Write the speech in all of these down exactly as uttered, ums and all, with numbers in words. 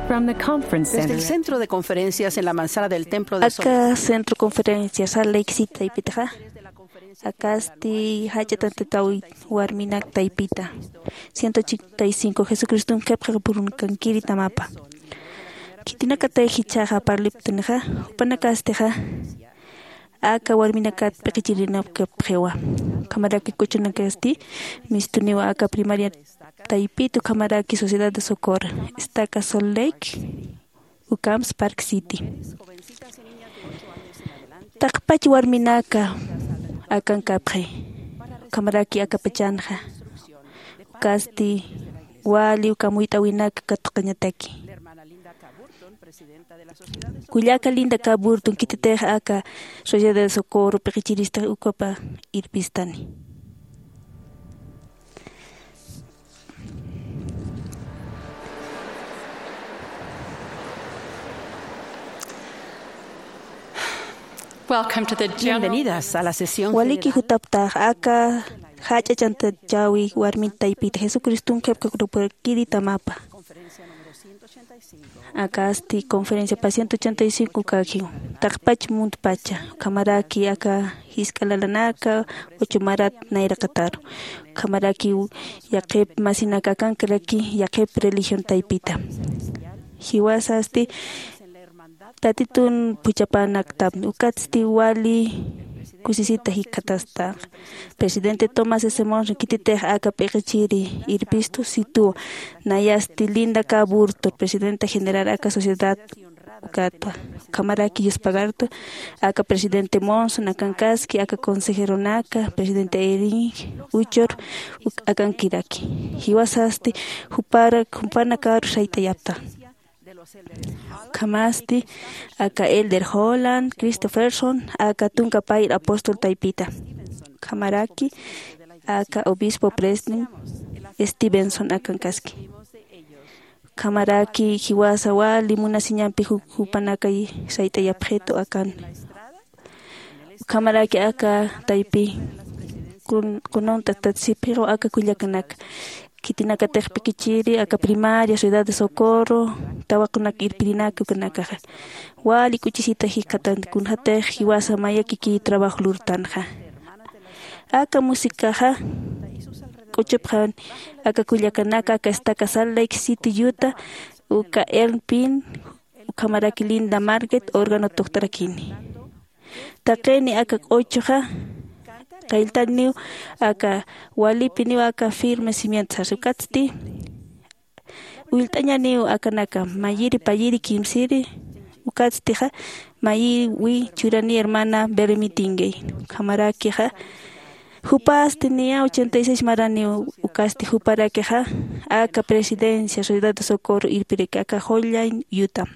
From the conference Desde el center. Centro de conferencias en la manzana del templo de Aka Salt Lake. Centro conferencia Salt Lake City taypitaxa. Akasti jach'a tantataw warminak taypita. Ciento ochenta y cinco Jesucristum qhipqapurunkankiri tamapa. Khitinakatay jichhaxa parliptunixa, jupanakastixa aka warminakat p'iqichirinakapxiwa. Ukhamaraki kuchunakasti mistuniwa aka primaria taypit, ukhamaraki Sociedad de Socorro, Estaca Salt Lake, ukhams Park City. Taqpach warminaka akankapxi, ukhamaraki akapachanxa. Ukasti wali ukham uyt'awinaka katuqañataki. Kullaka Linda K. Burton khititix aka Sociedad de Socorro p'iqichiristix ukapa irpistani. Welcome to the general Bienvenidas a la sesión Waliki general. Jutaptax aka jach'a chantachawi warmin taypita Jesucristum qhipqapurunkankiri tamapa. Akasti conferencia pa ciento ochenta y cinco kakiw. Taqpach muntpacha, ukhamaraki aka jisk'a lalanaka, ocho marat nayraqataru. Ukhamaraki yaqhip masinaka akankaraki yaqhip religión taypita. Jiwasasti Tatitun phuchhapänaktapni, ukatsti wali kusisita jikxatastax. Presidente Thomas S. Monson khititix aka p'iqichiri irpistu situ, nayasti Linda K. Burton, presidenta general aka sociedad ukatwa. Ukhamaraki yuspagartu aka presidente Monson akankaski, aka consejeronaka, presidente Eyring Uchor, uk-, akankiraki. Jiwasasti jupara, jupanakaru sayt'ayapta. Ukhamasti aka Elder Holland Christofferson, aka tunka payr apóstol taypita. Ukhamaraki aka obispo Preston Stevenson akankaski. Ukhamaraki jiwasa wali munasiñampi ju-, jupanakay sayt'ayapxitu akan. Ukhamaraki aka taypi kun-, kununta tatsipxiru aka kullakanaka. Khitinakatix p'iqichiri aka primaria, Ciudad de Socorro, tawaqunak irpirinaka ukanakaxa. Wali k'uchisita jikxatan kunjatix jiwasa mayakiki trabajo lurtanxa. Aka musicaxa k'uchupxan aka kullakanaka, aka estaca Salt Lake City, Utah, uka Elpin, ukhamaraki Linda Margaret órgano tuqt'arakini. Taqini aka k'uchuxa, qilltaniw aka walipiniw aka firme cimiento sasa ukatsti. Ullt'añaniw akanaka, mayiri payiri kimsiri, ukatstixa, mayiwi churani hermana Bermitingay. Ukhamarakixa, jupasti niya ochenta y seis maraniw ukasti juparakixa, aka presidencia Sociedad de Socorro irpiraki aka Holland, Utah.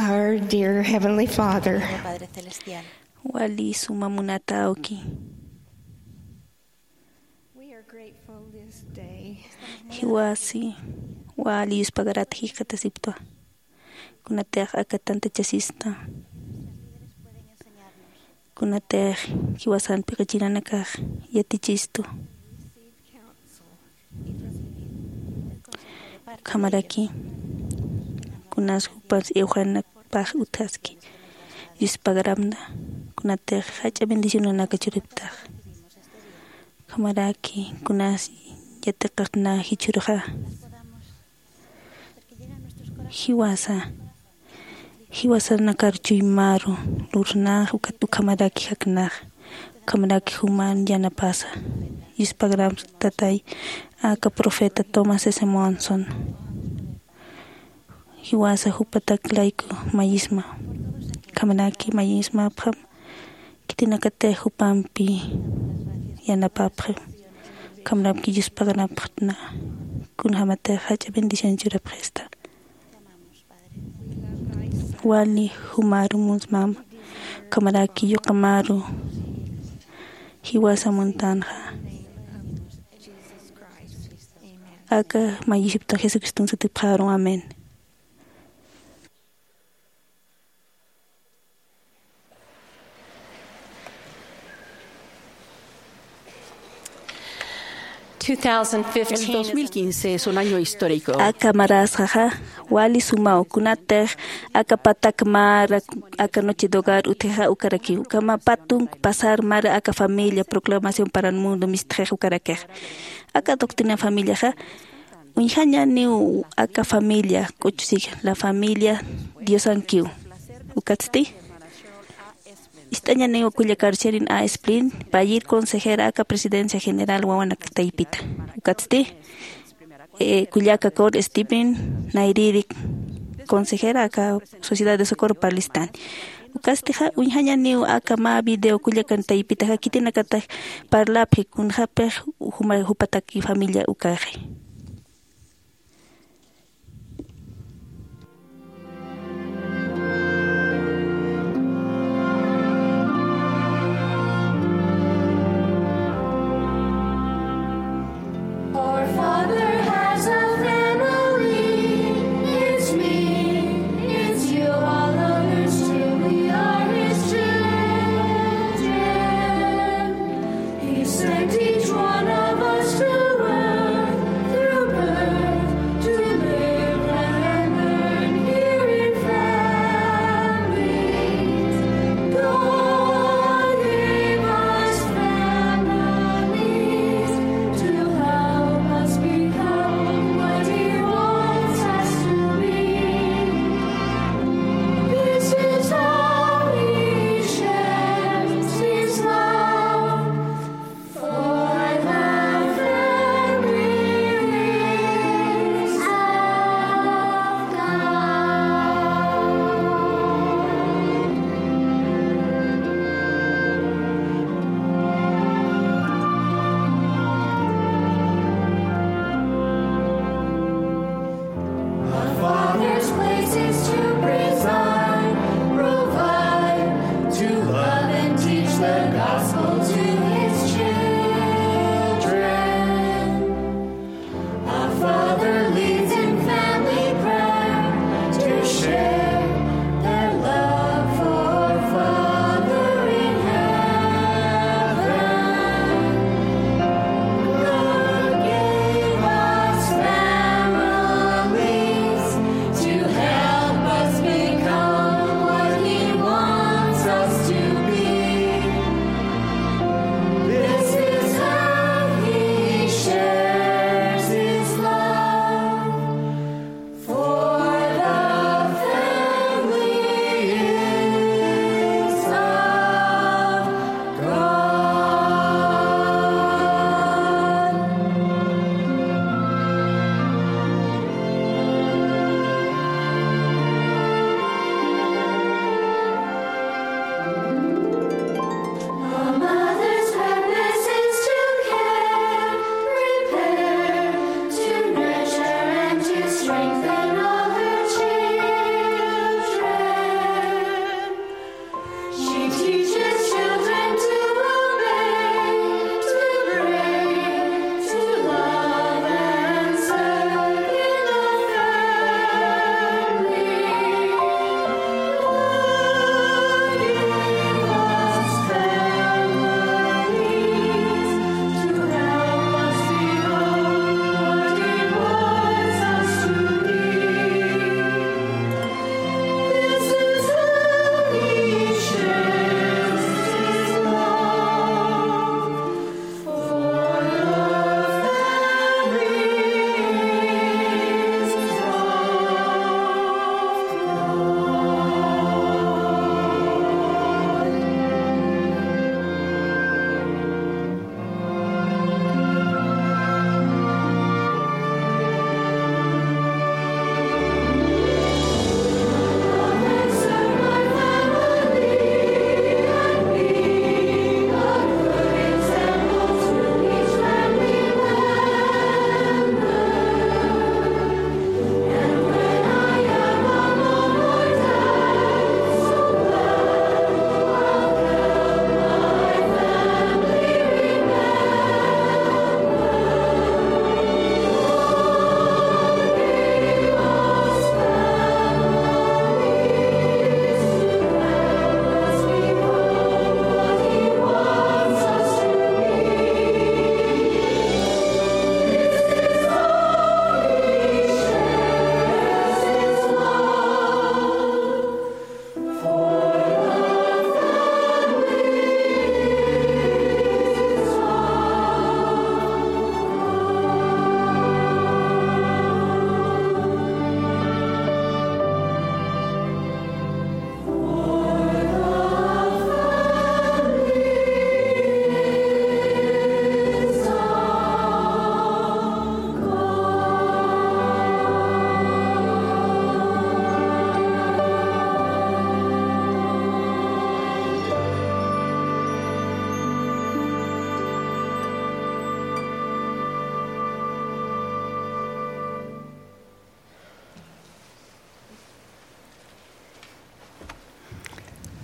Our dear Heavenly Father. Padre Celestial. Wali suma munata awki. We are grateful this day. Jiwasi wali yuspagarat jikxatasiptwa. Kunatix aka tantachasista. Kunatix jiwasan piqichiranakax yatichistu. Ukhamaraki kunas jupas iwxanakpax utjaski. Yuspagaramna kunatix jach'a bendicionanaka churiptax. Ukhamaraki kunas yatiqaqna jichhürxa. Jiwasa jiwasanakar chuymaru lurnax ukat ukhamaraki jaknax. Ukhamaraki juman yanapasa. Yuspagram tatay aka profeta Thomas S Monson. Jiwasa jupatak layku mayisma. Ukhamaraki mayismapxam. Khitinakatix jupampi yanapapxi. Ukhamaraki yuspaganapxtna. Kunjamatix jach'a bendición churapxista. Wali jumaru munsmam. Ukhamaraki yuqamaru jiwasa muntanxa. Aka mayisiptan Jesucriston sutipxaru. Amén. El dos mil quince es un año histórico. Aka marasxaxa wali sumaw kunatix aka patak mara aka noche de hogar utjixa ukarakiw. Ukhama pä tunk pasar mara aka familia proclamación para el mundo mistxix ukarakix. Aka doctrina familiaxa uñjañaniw aka familia k'uchusik la familia diosankiw. Ukatsti ist'añaniw kullakar Sherin A Splin, payïr consejera aka Presidencia General Wawanak Taypita. Ukatsti kullaka Cor Stephen, nayrïri consejera aka Sociedad de Socorro Palestine. Ukastixa uñjañaniw aka mä video kullakan taypitaxa khitinakatix parlapxi kunjäpix juma jupataki familia ukaxi. Our Father has a family. It's me, it's you, all others too. We are his children. He sent each one of us to earth.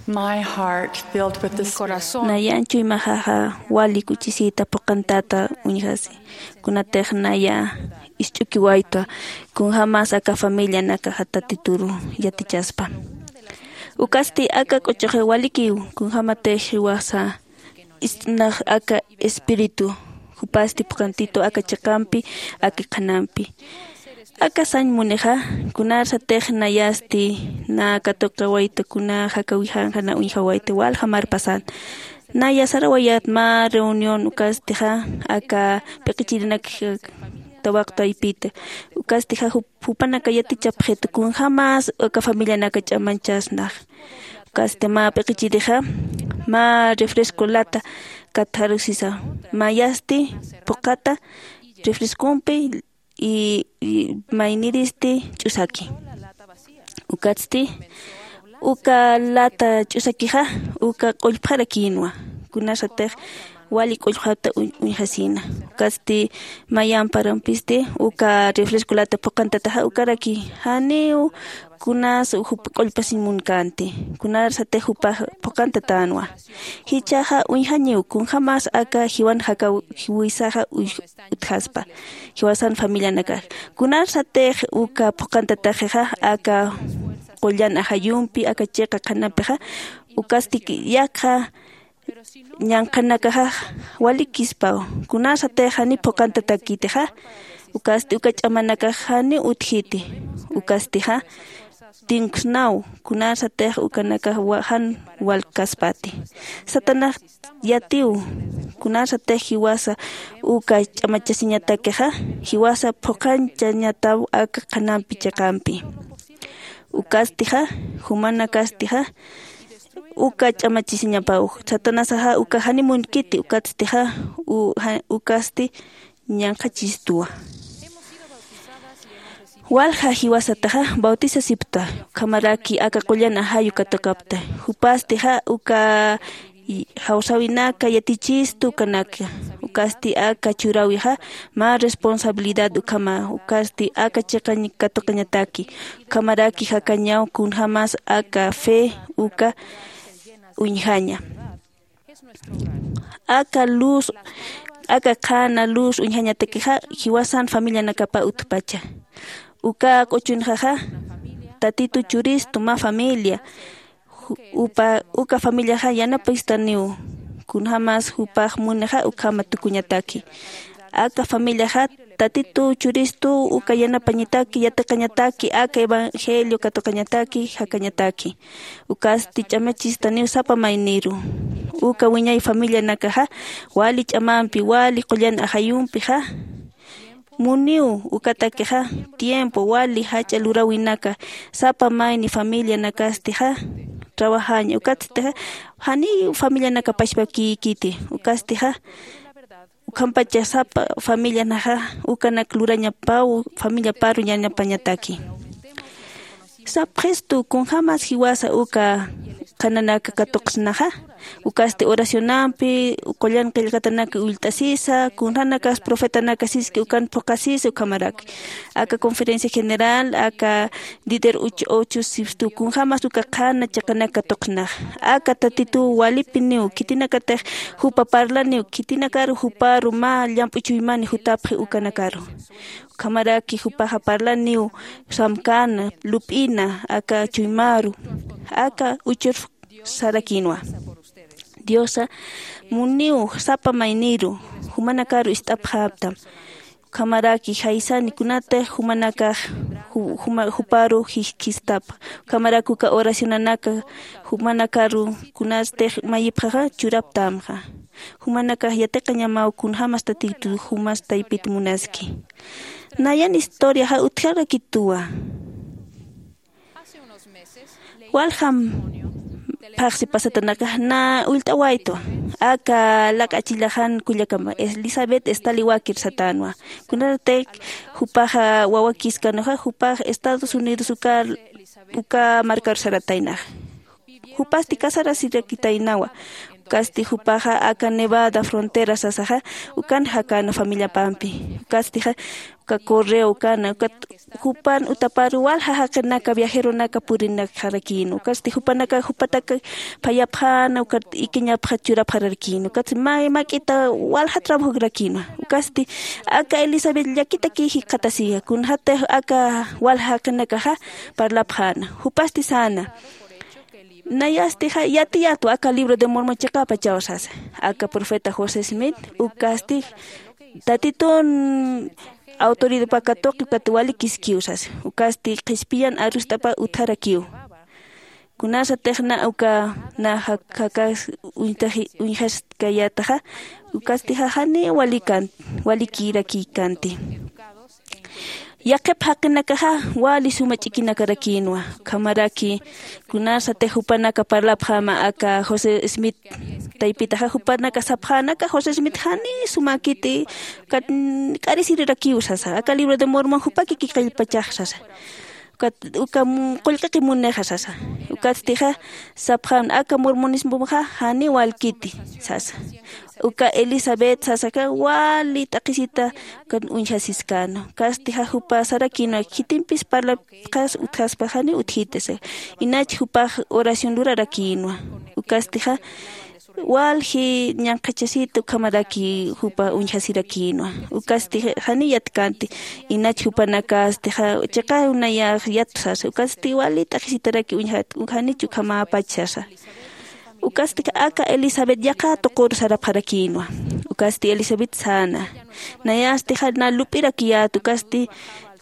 My heart filled with the Spirit. Nayan chuymaxaxa wali kuchisita phuqhantata uñjasi. Kunatix naya ist'ukiwayta kunjämas aka familianakaxa Tatituru yatichaspa. Ukasti aka q'uchuxi walikiw kunjämatix jiwasa ist'nax aka espíritu jupasti phuqhantitu aka chiqampi, aka qhanampi. Aka sañ munixa, kunarsatix nayasti na katuqawayta kuna jakawijanxa na uñjawayta walja marpasan. Naya sarawayät mä reunión ukastixa aka p'iqichirinak tawaqtaypita. Ukastixa jup- jupanaka yatichapxitu kunjämas aka familianaka ch'amanchasnax. Ukasti mä p'iqichirixa mä refresco lata katxarusisa. Mayasti phuqhata refrescompi y, y mayniristi ch'usaki. Ukatsti uka lata ch'usakixa uka q'ullpxarakïnwa. Kunarsatix wali q'ullpxata uñ- uñjasïna. Ukatsti mayan parampisti uka refresco lata phuqhantataxa ukaraki janiw kunas jup q'ullpasiñ munkänti. Kunarsatix jupax phuqhantatänwa. Jichhaxa uñjañiw kunjämas aka jiwan jakaw jiwisaxa uy- utjaspa jiwasan familianakax. Kunarsatix uka phuqhantataxixa aka qullan ajayumpi aka chiqa qhanampixa ukasti yaqha ñanqhanakaxa walikispaw. Kunarsatix janiw phuqhantatakitixa ukasti uka ch'amanakax janiw utjiti. Ukastixa tinkusnaw kunarsatix ukanakax wa- jan walkaspati. Satanás yatiw kunarsatix jiwasa uka ch'amachasiñatakixa jiwasa phuqhanchañataw aka qhanampi chiqampi. Ukastixa jumanakastixa uka ch'amachasiñapaw. Satanasaxa uka janiw munkiti ukatstixa u- ja- ukasti ñanqhachistuwa. Walja jiwasataxa bautisasipkta ukhamaraki aka qullan ajayu katuqapkta. Jupastixa uka jawsäwinaka yatichistu ukanaka. Ukasti aka churäwixa mä responsabilidad ukhama ukasti aka chiqa katuqañataki. Ukhamaraki jakañaw kunjämas aka fe uka uñjaña. Aka luz aka qhana luz uñjañatakixa jiwasan familianakapa utjpacha. Uka q'uchunxaxa Tatitu churistu mä familia. Ju- upa uka familiaxa yanapistaniw kunjämas jupax munixa ukhama tukuñataki. Aka familiaxa Tatitu churistu uka yanapañataki yatiqañataki aka evangelio katuqañataki jakañataki. Ukasti ch'amachistaniw sapa mayniru. Uka wiñay familianakaxa wali ch'amampi wali qullan ajayumpixa muniw ukatakixa tiempo wali jach'a luräwinaka sapa mayni familianakastixa trabajaña ukatstixa janiw familianaka pachpakïkiti. Ukastixa ukhampacha sapa familianaxa ukanak lurañapaw familiaparu yanapañataki. Sapxistu kunjämas jiwasa uka qhananaka katuqsnaxa. Ukasti oracionampi qullan qillqatanaka ullt'asisa kunjänakas profetanaka siski ukan phuqhasisa ukhamarak aka conferencia general aka líder uch ocho sipstu kunjämas uka qhana chiqanak katuqsnaxa. Aka Tatituw walipiniw khitinakatix jupa parlaniw khitinakaru juparu mä llamp'u chuymani jutapxi ukanakaru. Ukhamaraki jupaxa parlaniw samkana lup'ina aka chuymaru aka uchur sarakïnwa. Diosa muniw sapa mayniru jumanakaru ist'apxäptam. Ukhamaraki jaysani kunatix jumanakax ju- juma- juparu jijkistapa. Ukhamaraki uka oracionanaka jumanakaru kunatix mayipxaxa churaptamxa. Jumanakax yatiqañamaw kunjämas Tatitu jumas taypit munaski. Nayan historiaxa utjarakituwa. Waljam phaxsi pasatanakax na ullt'awaytu aka lak'achillaxan kullakama Elizabeth Staliwakir satänwa. Kunatix jupaxa wawakiskanxa jupax Estados Unidos uka uka markaru sarataynaxa. Jupasti casarasirakitaynawa. Ukasti jupaxa aka Nevada frontera sasaxa ukan jakana familiapampi. Ukastixa uka correo ukana ukat jupan utapar walja jaqinaka viajeronaka purinakxarakïnwa. Ukasti jupanaka jupataka phayapxäna ukat ikiñapxa churapxarakïnwa. Ukatsti mä mak'ita walja trabajorakïnwa. Ukasti aka Elisabet llakitakï jikxatasiya kunxatix aka walja jaqinakaxa parlapxäna. Jupasti säna. Nayastixa yatiyätwa aka libro de Mormon chiqapachaw sasa. Aka profeta José Smith ukasti tatitun autoridadpa katuqi ukat walikiskiw sasa. Ukasti qhispiyan arust'apa utjarakiw. Kunasatix na uka na jakas uñjaskayätaxa ukastixa janiw walikan walikïrakïkanti. Yaqhip jaqinakaxa wali suma ch'ikinakarakïnwa. Ukhamaraki kunasatix jupanaka parlapxäma aka José Smith taypitaxa jupanaka sapxänaka José Smith janiw sumäkiti. Ukat k'arisiriraki usasa aka libro de Mormon jupaki kikillpachax sasa. Ukat uka qullqiqi munixa sasa. Ukatstixa sapxän aka mormonismoxa janiw walkiti sasa. Uka Elisabet sasaka wali t'aqhisita ukan uñjasiskänwa. Ukatstixa jupa sarakïnwa khitimpis parlapxas utjaspa janiw utjiti sasa. Inach jupax oración lurarakïnwa. Ukastixa walji ñanqhachasita ukhamaraki jupa uñjasirakïnwa. Ukasti janiw yatkänti. Inach jupanakastixa chiqaw nayax yatu sasa ukasti wali t'aqhisitaraki uñjat janich ukhamäpach sasa. Ukasti aka Elisabet yaqha tuqur sarapxarakïnwa. Ukasti Elisabet säna. Nayastixa na lup'irakiyät ukasti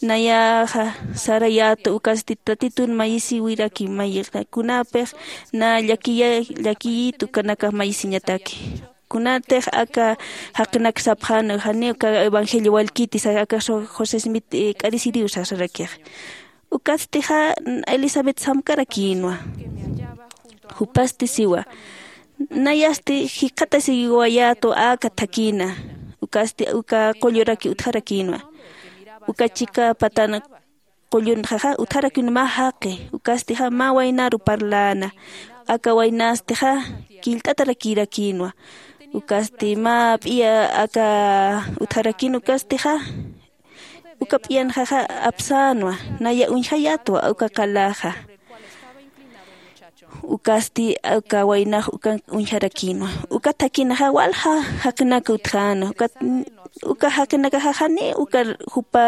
nayaxa sarayätu ukasti tatitun mayisiwiraki mayixa kunapix na llakiyit ukanakax mayisiñataki. Kunatix aka jaqinak sapxäna janiw uka evangelio walkiti sasa aka josé smith k'arisiriw sasarakix. Ukastixa elisabet samkarakïnwa. Jupasti siwa. Nayasti jikxatasiwayätwa aka thakïna. Ukasti uka qulluraki utjarakïnwa. Uka chika patan qullunxaxa utjarakïnwa mä jaqi. Ukastixa mä waynaru parläna. Aka waynastixa killt'atarakïrakïnwa. Ukasti mä p'iya aka utjarakïn ukastixa uka p'iyanxaxa apsänwa. Naya uñjayätwa uka qalaxa. Ukasti uka waynax ukan uñjarakïnwa. Uka thakïnaxa walja jaqinaka utjäna. Uka jaqinakaxa janiw uka jupa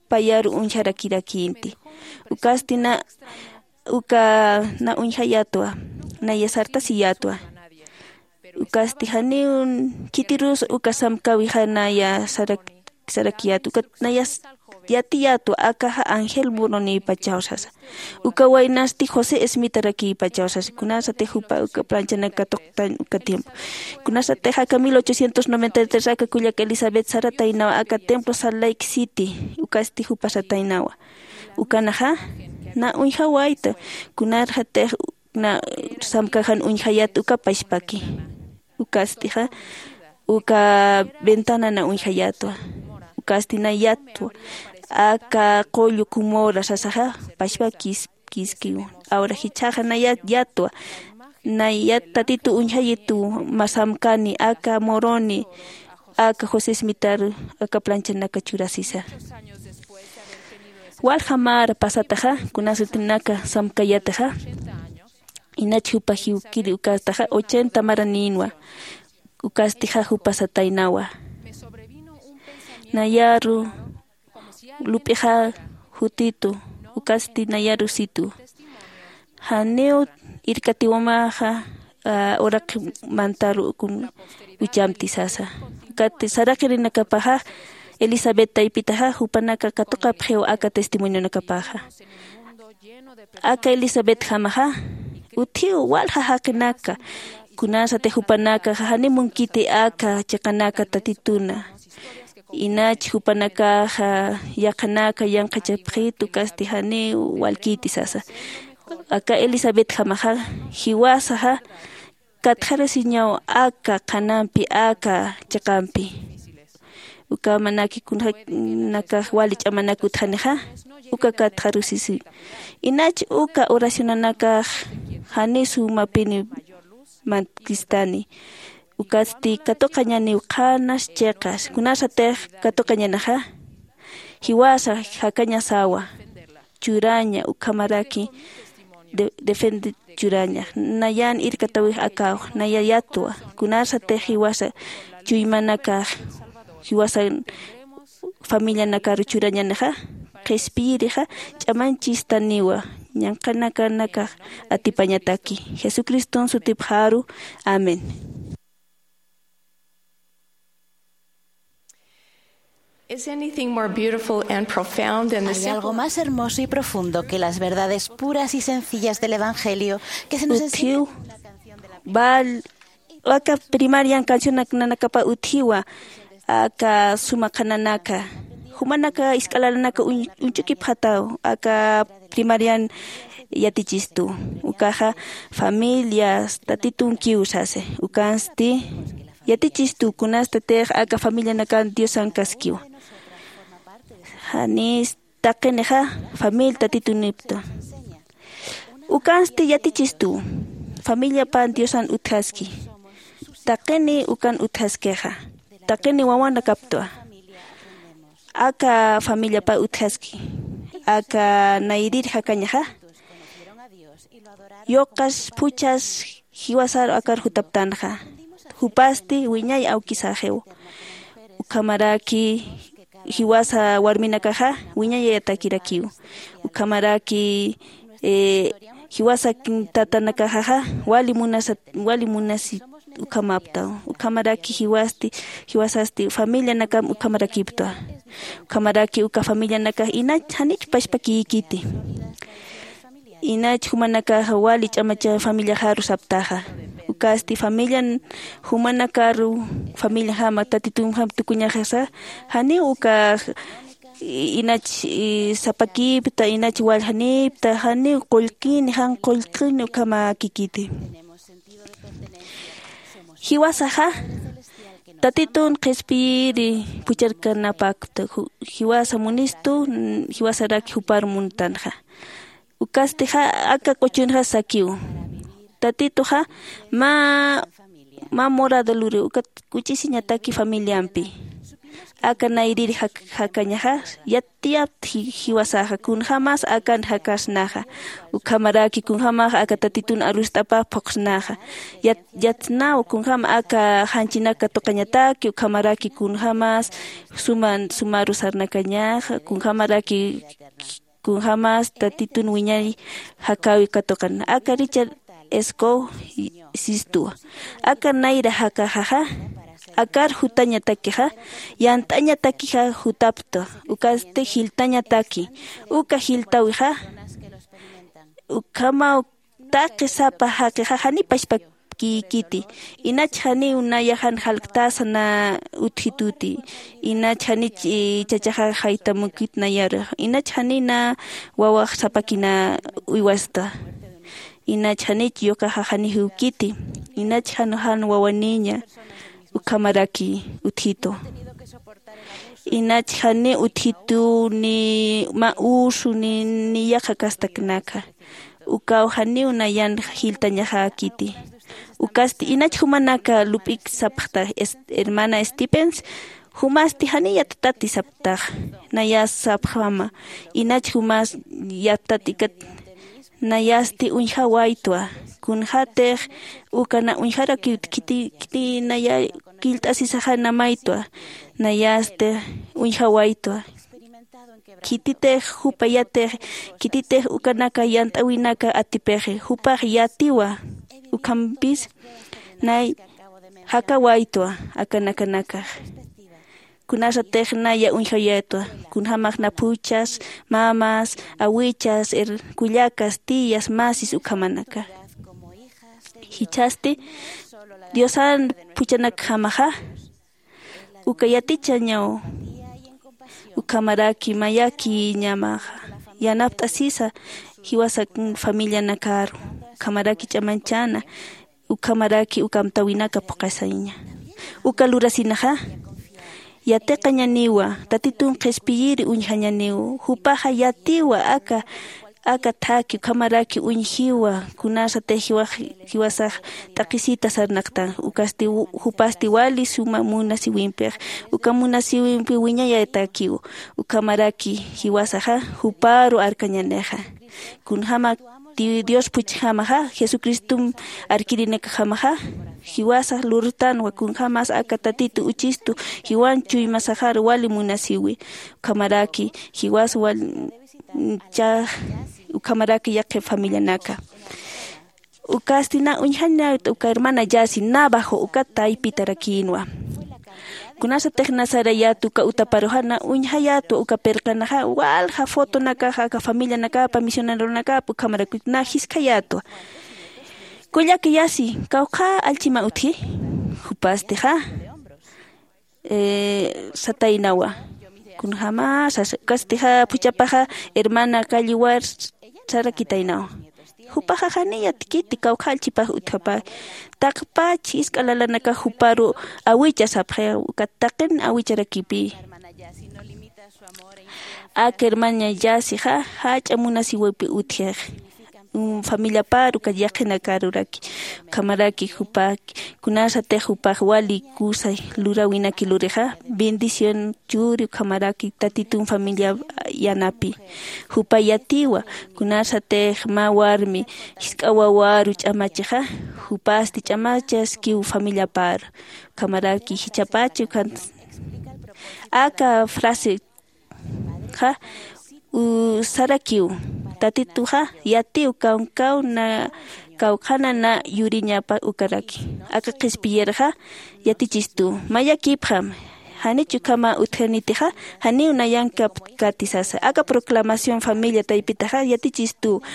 payaru uñjarakïrakïnti. Ukasti na uka na uñjayätwa. Naya sartasiyätwa. Ukasti janiw khitirus uka samkäwixa naya sarakiyätwa ukat naya yatiyätwa akaxa angel murunïpachaw sasa. Uka waynasti josé esmitarakïpachaw sasa kunasatix jupa uka planchanak katuqtañ uka tiempo. Kunasatix aka mil ochocientos noventa y tres aka kullak elisabet sarataynawa aka templo salt lake city. Ukasti jupa sataynawa. Ukanaxa na uñjawayta. Kunarxatix na samkaxan uñjayät uka pachpaki. Ukastixa uka ventana na uñjayätwa. Ukasti na yatwa aka qullu kumura sasaxa pachpa kiskiw. Awra jichhaxa na yatwa na yat tatitu uñjayituw mä samkani aka muruni aka josé smitaru aka planchanaka churasisa. Walja mara pasataxa kunasatix naka samkayätaxa. Inach jupa jiwkiri ukastaxa ochenta maranïnwa. Ukastixa jupa sataynawa. Nayaru lup'ixa jutitu. Ukasti nayaru situ. Janiw irkatiwamaxa uraqi mantaru kun uchamti sasa. Ukati saraqirinakapaxa elisabet taypitaxa jupanaka katuqapxiw aka testimonionakapaxa. Aka elisabetjamaxa utjiw walja jaqinaka. Kunasatix jupanakaxa janiw munkiti aka chiqanaka tatituna. Inach jupanakaxa yaqhanaka yanqhachapxitu kasti janiw walkiti sasa. Aka elisabetjamaxa jiwasaxa katxarusiñaw aka qhanampi aka chiqampi. Ukamanaki kunjäkinakax wali ch'amanak utjanixa uka katxarusisiw. Inach uka oracionanakax janiw sumapini mantkistani. Ukatsti katuqañaniw qhanas chiqas. Kunasatix katuqañanaxa, jiwasa jakañasawa churaña ukhamaraki de- defende churaña. Nayan irkatawix akaw naya yatwa. Kunasatix jiwasa chuymanakax jiwasa familianakaru churañanixa, qhispiyirixa ch'amañchistaniwa ñanqanakanakax atipañataki. Jesucriston sutipxaru. Amén. Is anything more beautiful and profound than the ¿Hay algo simple más hermoso y profundo que las verdades puras y sencillas del Evangelio que se nos enseña? Utjiw bal aka primarian cancionanakapa utjiwa aka suma qhananaka jumanaka isk'alananaka uñ- uñch'ukipxataw aka primarian yatichistu. Ukaxa familias tatitunkiw sasi. Ukansti yatichistu kunastatix aka familianakan diosan kaskiwa. Janis taqinixa familia tatitunipta. Ukansti yatichistu familiapan diosan utjaski. Taqini ukan utjaskixa taqini wawanakaptwa. Aka familiapa utjaski aka nayrir jakañaxa yuqas phuchas jiwasar akar jutaptanxa. Jupasti wiñay awkisaxiw. Ukhamaraki jiwasa warminakaxa wiñayayatakirakiw. Ukhamaraki eh, jiwasa tatanakaxaxa wali munasa wali munasi ukhamaptaw. Ukhamaraki jiwasti jiwasasti familianakam ukhamarakiptwa. Ukhamaraki uka familianakax inach janich pashpakïkiti. Inach jumanakaxa wali ch'amacha familiaxaru saptaxa. Ukasti familian jumanakaru familiajama tatitunjam tukuñaxasa janiw ukax inach sapakipta inach waljanipta janiw qullkini jan qullkini ukhamakikiti. Jiwasaxa tatitun qhispiyiri phucharkanapakta jiwasa munistu jiwasarak jupar muntanxa. Ukastixa aka quchunxa sakiw tatituxa mä mä morado luriw ukat k'uch'isiñataki familiampi. Aka nayrir jakañaxa yatiyapta jiwasaxa kunjämas akan jakasnaxa. Ukhamaraki kunjämax aka tatitun arust'apa phuqsnaxa. Yatsnaw kunjäm aka janchinak katuqañataki ukhamaraki kunjämas suman sumaru sarnakañaxa kunjämaraki kunjämas tatitun wiñay jakäwi katuqan aka richard escow sistuwa. Aka nayra jakaxaxa akar jutañatakixa yant'añatakixa jutaptwa. Ukasti jiltañataki uka jiltawixa ukhamaw taqi sapa jaqixa janiw pachpakïkiti. Inach janiw naya jan jalktasa na utjituti. Inach janich chachaxa jaytamukit nayarux inach janiw na wawax sapakina uywasta. Inach janich yuqaxa janiw jiwkiti. Inach jan jan wawaniña ukhamaraki utjitu. Inach janiw utjitu ni mä usu ni ni yaqha kastaknaka. Ukaw janiw nayan jiltañaxäkiti. Ukasti inach jumanaka lup'ik sapxta hermana stevens jumasti janiw yattati saptax. Nayas sapxama inach jumas yattati ikat nayasti uñjawaytwa. Kunxätix uka na uñjarakiwt khiti naya killt'asisaxa namaytwa. Nayasti uñjawaytwa. Khititix jupa yatix khititix ukanaka yant'äwinaka atipixi jupax yatiwa. Ukhampis nay jakawaytwa akanakanakax. Kunasatix naya uñjayätwa kunjämax naphuchas mamas awichas kullakas tiyas masis ukhamanaka. Jichhasti diosan phuchanakjamaxa uka yatichañaw. Ukhamaraki mayakïñamaxa yanapt'asisa jiwasak familianakaru ukhamaraki ch'amañchäna ukhamaraki uka amtäwinaka phuqasiña. Uka lurasinaxa yatiqañaniwa tatitun qhispiyiri uñjañaniw. Jupaxa yatiwa aka aka thaki ukhamaraki uñjiwa. Kunasatix jiwasax t'aqhisita sarnaqtan ukasti jupasti wali suma munasiwimpix uka munasiwimpi wiñayatakiw. Ukhamaraki jiwasaxa juparu arkañanixa. Kunjämak dios phuchjamaxa jesucristom arkirinakajamaxa jiwasax lurtanwa kunjämas aka tatitu uchistu jiwan chuymasaxar wali munasiwi. Ukhamaraki jiwas wal ukhamaraki yaqhip familianaka. Ukasti na uñjañat uka hermana yasi navajo ukat taypitarakïnwa. Kunasatix nasarayät uka utaparuxa na uñjayätwa uka pirqanaxa walja fotonakaxa aka familianakapa misioneronakapa ukhamaraki na jiskhayätwa. Kullaka yasi kawqha allchima utji? Jupastixa sataynawa. Kunjäma sasa ukastixa phuchhapaxa hermana calliwar sarakitaynawa. Jupaxa janiy yatkiti kawkha allchipax utjapä. Taqpach jisk'a lalanakax juparu awicha sapxi ukat taqin awicharakipï. Aka hermana yasixa jach'a munasiwipi utjix familiapar uka yaqhinakaruraki. Ukhamaraki jupa kunasatix jupax wali kusa luräwinaki lurixa bendición churi ukhamaraki tatitun familia yanapi. Jupa yatiwa kunasatix mä warmi jisk'a wawaru ch'amachixa jupasti ch'amachaskiw familiapar. Ukhamaraki jichhapachi ukhant aka frase ja sarakiw. Tatituxa yatiw kawkaw na kawkhana na yuriñapa ukaraki. Aka qhispiyirxa yatichistu mayakipxam. Janich ukhama utjanitixa janiw nayankapkati sasa aka proclamación familia taypitaxa yatichistu.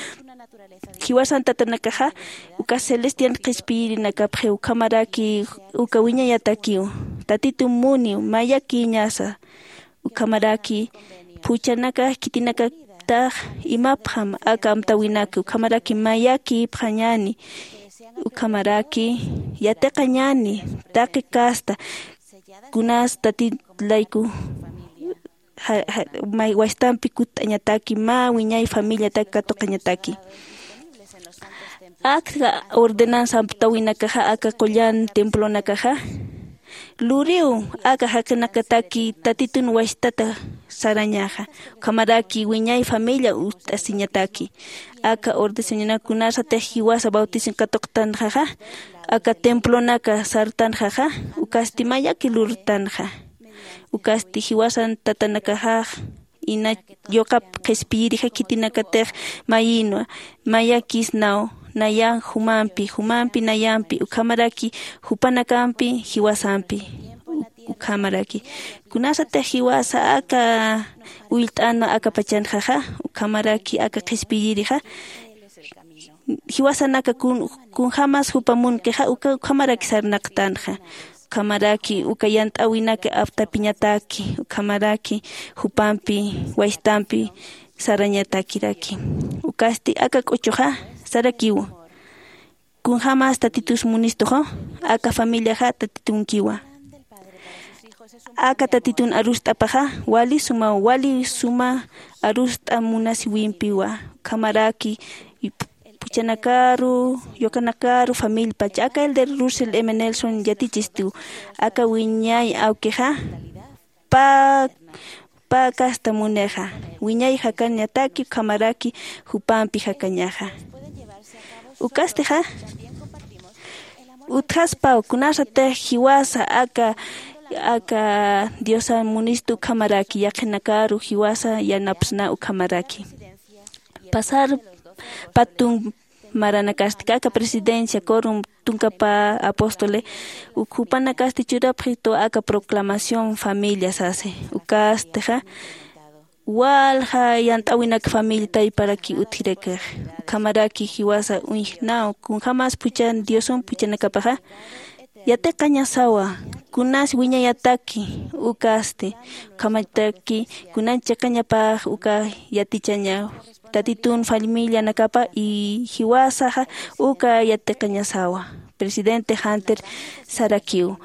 Jiwasan tatanakaxa uka celestian qhispiyirinakapxiw ukhamaraki uka wiñayatakiw. Tatitu muniw mayakïñasa. Ukhamaraki phuchhanakax khitinakatax imapxam aka amtäwinaka ukhamaraki mayakïpxañäni. Ukhamaraki yatiqañäni taqi casta kunas tatit layku wastampi kutt'añataki mä wiñay familiatak katuqañataki. Aka ordenanza amtäwinakaxa aka qullan templonakaxa luriw aka jaqinakataki tatitun wastata sarañaxa. Ukhamaraki wiñay familia utt'asiñataki. Aka ordenanza kunasatix jiwasa bautizan katuqtanxaxa aka templonaka sartanxaxa ukasti mayaki lurtanxa. Ukasti jiwasan tatanakaxax ina yuqap qhispiyirija khitinakatix mayinwa mayakisnaw nayan jumampi jumampi nayampi ukhamaraki jupanakampi jiwasampi. Ukhamaraki kunasatix jiwasa aka ullt'anwa aka pachanxaxa ukhamaraki aka qhispiyirixa jiwasanaka kunjämas jupa munkixa uka ukhamaraki sarnaqtanxa. Ukhamaraki uka yant'äwinaka aptapiñataki ukhamaraki jupampi wastampi sarañatakiraki. Ukasti aka k'uchuxa sarakiw kunjämas tatitus munistuxa aka familiaxa tatitunkiwa. Aka tatitun arust'apaxa wali suma wali suma arust'a munasiwimpiwa. Ukhamaraki phuchhanakaru yuqanakaru familipach aka elder russell m nelson yatichistu aka wiñay awkixa pä pä casta munixa wiñay jakañataki ukhamaraki jupampi jakañaxa. Ukastixa utjaspaw kunasatix jiwasa aka aka diosa munistu ukhamaraki yaqhinakaru jiwasa yanapsna ukhamaraki. Pasar patun maranakasti aka presidencia corum tunkapa apóstole jupanakasti churapxitu aka proclamación familia sasi. Ukastixa walja yant'äwinak familia tayparaki utjirakix ukhamaraki jiwasa uñjnaw kunjämas phuchan diosum phuchanakapaxa yatiqañasawa kunas wiñayataki ukasti ukhamataki kunan chiqañapax uka yatichaña tatitun familianakapa y jiwasaxa uka yatiqañasawa. Presidente janter sarakiw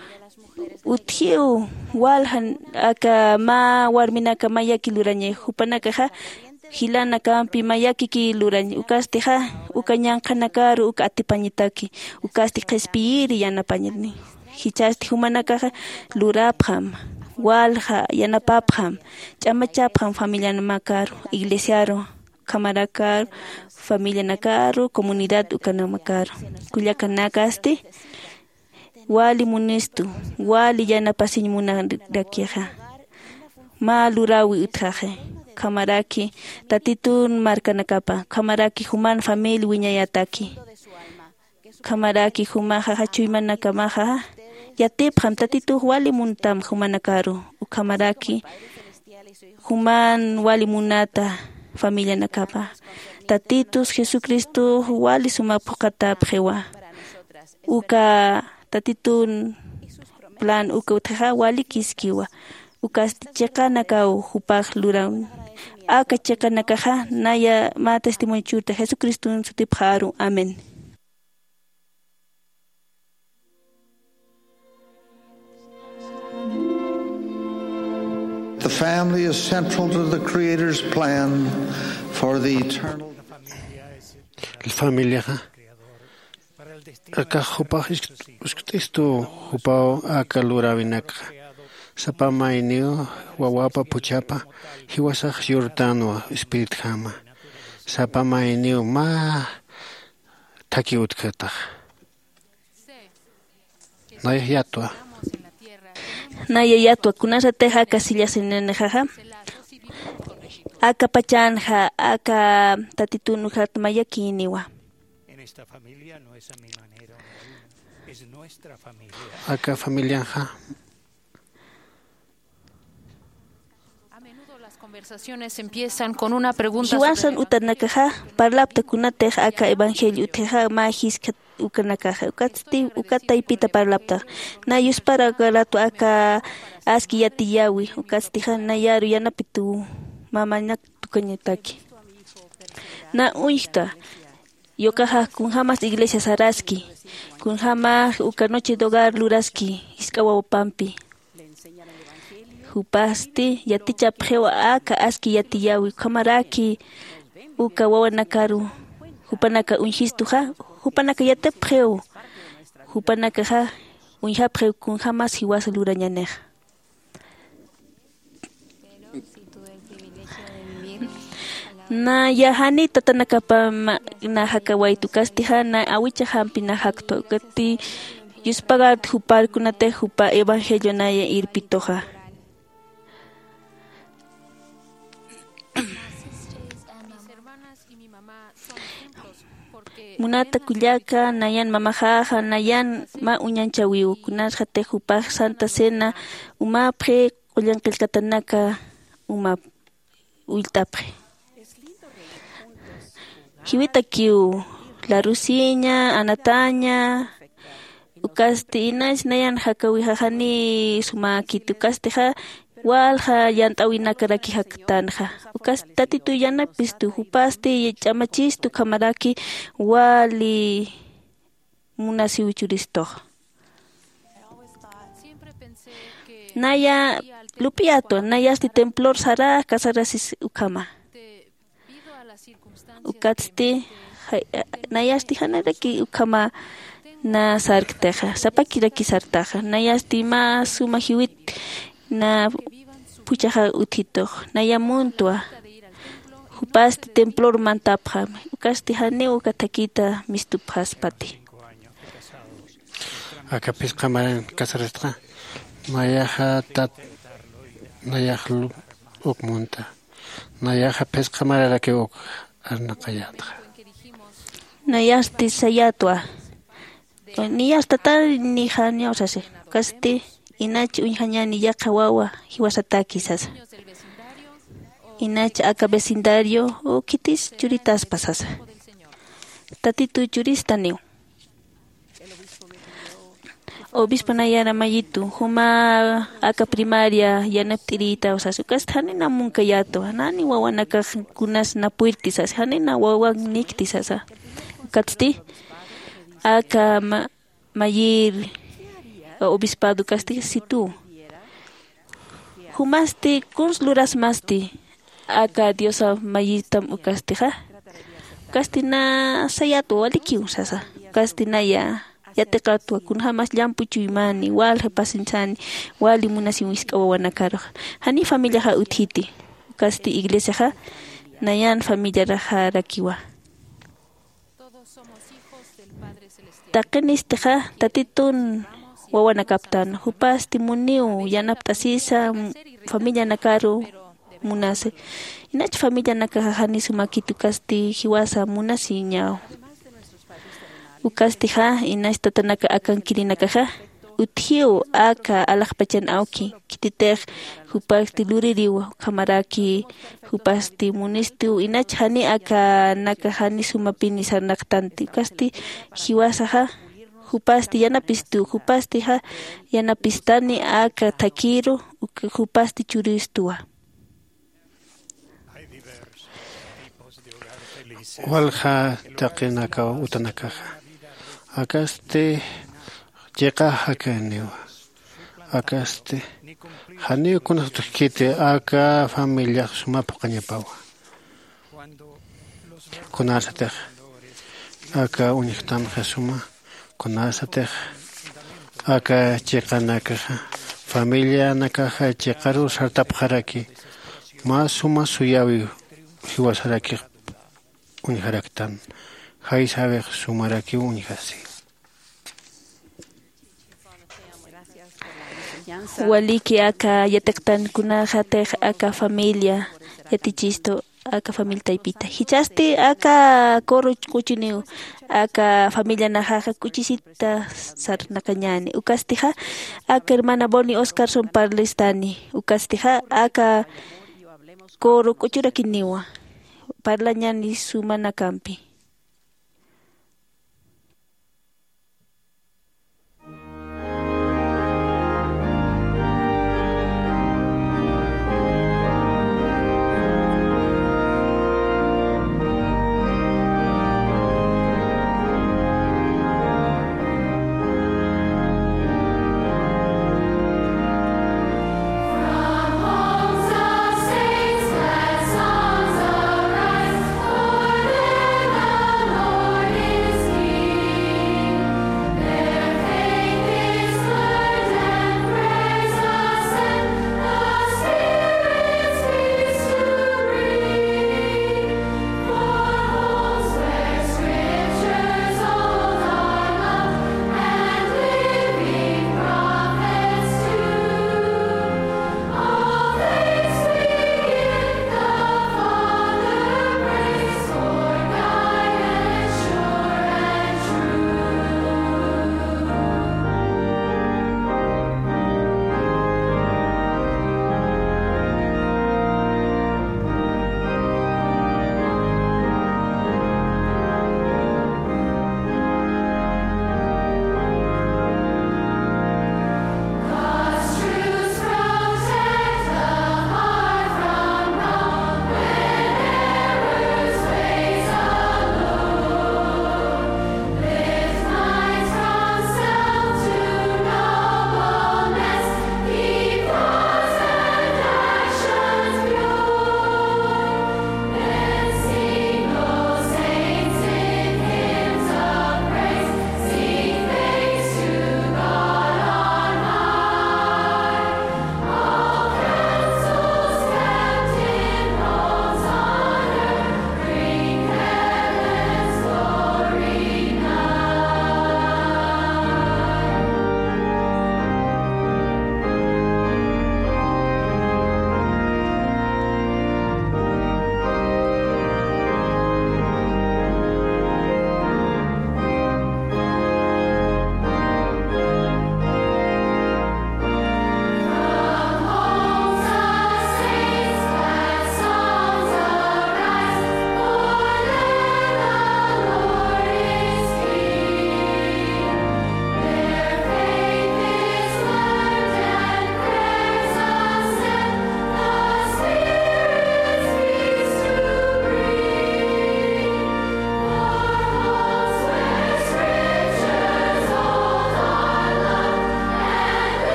utjiw walja aka mä warminaka mayaki lurañay jupanakaxa jilanakampi mayakiki lurañ. Ukastixa uka ñanqhanakaru uka atipañataki. Ukasti qhispiyiri yanapañatni. Jichhasti jumanakaxa lurapxam, walja yanapapxam, ch'amachapxam familianamakaru, iglesiaru, ukhamarakaru, familianakaru, comunidad ukanamakaru. Kullakanakasti wali munistu, wali yanapasiñ munarakixa. Mä luräwi utjaxi, ukhamaraki Tatitun markanakapa, ukhamaraki juman familia wiñayataki. Ukhamaraki jumaxa, jachuymanakamaxa yatipxam, Tatitux wali muntam jumanakaru, ukhamaraki juman wali munata familianakapa. Tatitus Jesucristox wali suma phuqatapxiwa. Uka Tatitun plan uka utjaxa wali kiskiwa. Ukasti chiqanakaw jupax luran. Aka chiqanakaxa naya mä testimonio churta Jesucriston sutipxaru. Amén. The family is central to the Creator's plan for the eternal. Familiaxa aka jupax uskt'istu jupaw aka luräwinakxa. Sapa mayniw wawapa phuchhapa jiwasax yurtänwa espiritjama. Sapa mayniw mä thakhi utjkatax. Nayax yatwa. Naya yatwa, kunasatix aka sillasinanixaxa, aka pachanxa, aka Tatitun ujat mayakïniwa. Aka familianxa. A menudo las conversaciones empiezan con una pregunta. Jiwasan utanakaxa parlapta kunatix aka evangelio utjixa mä jiskha ukanakaxa. Ukatsti uka taypita parlapta. Na yuspara aka ratu aka aski yatiyäwi. Ukatstixa nayaru yanapituw mamanak tukañataki. Na uñjta. Yukaxa kunjämas iglesia saraski, kunjämax uka noche de hogar luraski jisk'a wawapampi. Jupasti yatichapxiw aka aski yatiyäwi, ukhamaraki uka wawanakaru jupanaka uñjistuxa, jupanaka yatipxiw, jupanakaxa uñjapxiw kunjämas jiwasa lurañanixa. Naya jani tatanakapam na jakawaytu, ukatstixa na awichaxampi na jaktwa, ukatsti yuspagat jupar kunatix jupa evangelio naya irpituxa. Munata kullaka, nayan mamaxaxa, nayan mä uñanchäwiw, kunasatix jupax Santa Cena umapxi, qullan qillqatanaka umap ullt'apxi. Jiwitakiw, larusiña, anataña, ukasti inach nayan jakawixa jani sumäkiti, ukastixa walja yant'äwinakaraki jaktänxa. Ukasti Tatitu yanapistu, jupasti ch'amachistu, ukhamaraki wali munasiw churistux. Naya lup'iyätwa, nayasti templor sarax kasarasis ukhama. Ukatsti, ja-, nayasti janiraki ukhama na sarktixa, sapakiraki sartaxa, nayasti mä suma jiwit na phuchhaxa utjitux, naya muntwa, jupasti templor mantapxam, ukasti janiw uka thakita mistupxaspati. Aka phisqa maran casarastxa, nayaxa tat-, nayax lu-, uk munta. Nayaxa phisqa mararakiw uk arnaqayätxa. Nayasti sayätwa. Niyas tatanixa niyaw sasi. Ukasti inach uñjañäni yaqha wawa jiwasataki sasa. Inach aka vecindario u khitis churitaspa sasa. Tatitu churistaniw. Obispo nayara mayitu, juma aka primaria yanapt'irïtaw sasa. Ukasti janina munkayätwa, nani wawanakax kunas napuyirkti sasa, janina wawan nikti sasa. Ukatsti aka ma-, mayir obispado ukasti situ. Jumasti kuns lurasmasti. aka Diosa mayitam ukastixa. Ukasti na sayatwa walikiw sasa. Ukasti naya yatiqatwa kunjämas llampu chuymani, walja pasinchani, wali munasiw wisk'a wawanakaruxa. Jani familiaxa utjiti. Ukasti iglesiaxa nayan familiaraxarakiwa. Taqinistixa Tatitun wawanakaptan, jupasti muniw yanapt'asisa familianakaru munasi. Inach familianakaxa jani sumakit ukasti jiwasa munasiñaw. Ukastixa inach tatanaka akankirinakaxa utjiw aka alaxpachan awki khititix jupasti luririw ukhamaraki jupasti munistiw inach jani akanaka jani sumapini sarnaqtanti ukasti jiwasaxa jupasti yanapistuw jupastixa yanapistani aka thakhiru jupasti churistuwa. Walja taqinakaw utanakaxa akasti chiqa jakaniwa. Akasti janiw kunas utjkiti aka familiax suma phuqañapawa. Kunasatix aka uñjtamxa suma kunasatix aka chiqanakaxa familianakaxa chiqaru sartapxaraki mä suma suyäwiw jiwasarakix uñjaraktan. Jaysawix sumarakiw uñjasi. Waliki aka yatiqtankunaxatix aka familia yatichistu aka familia taypita jichhasti aka coro quchiniw aka familianaxaxa k'uchisita sarnaqañäni ukastixa aka hermana Bonnie Oscarson parlastani ukastixa aka coro k'uchurakiniwa parlañäni sumanakampi.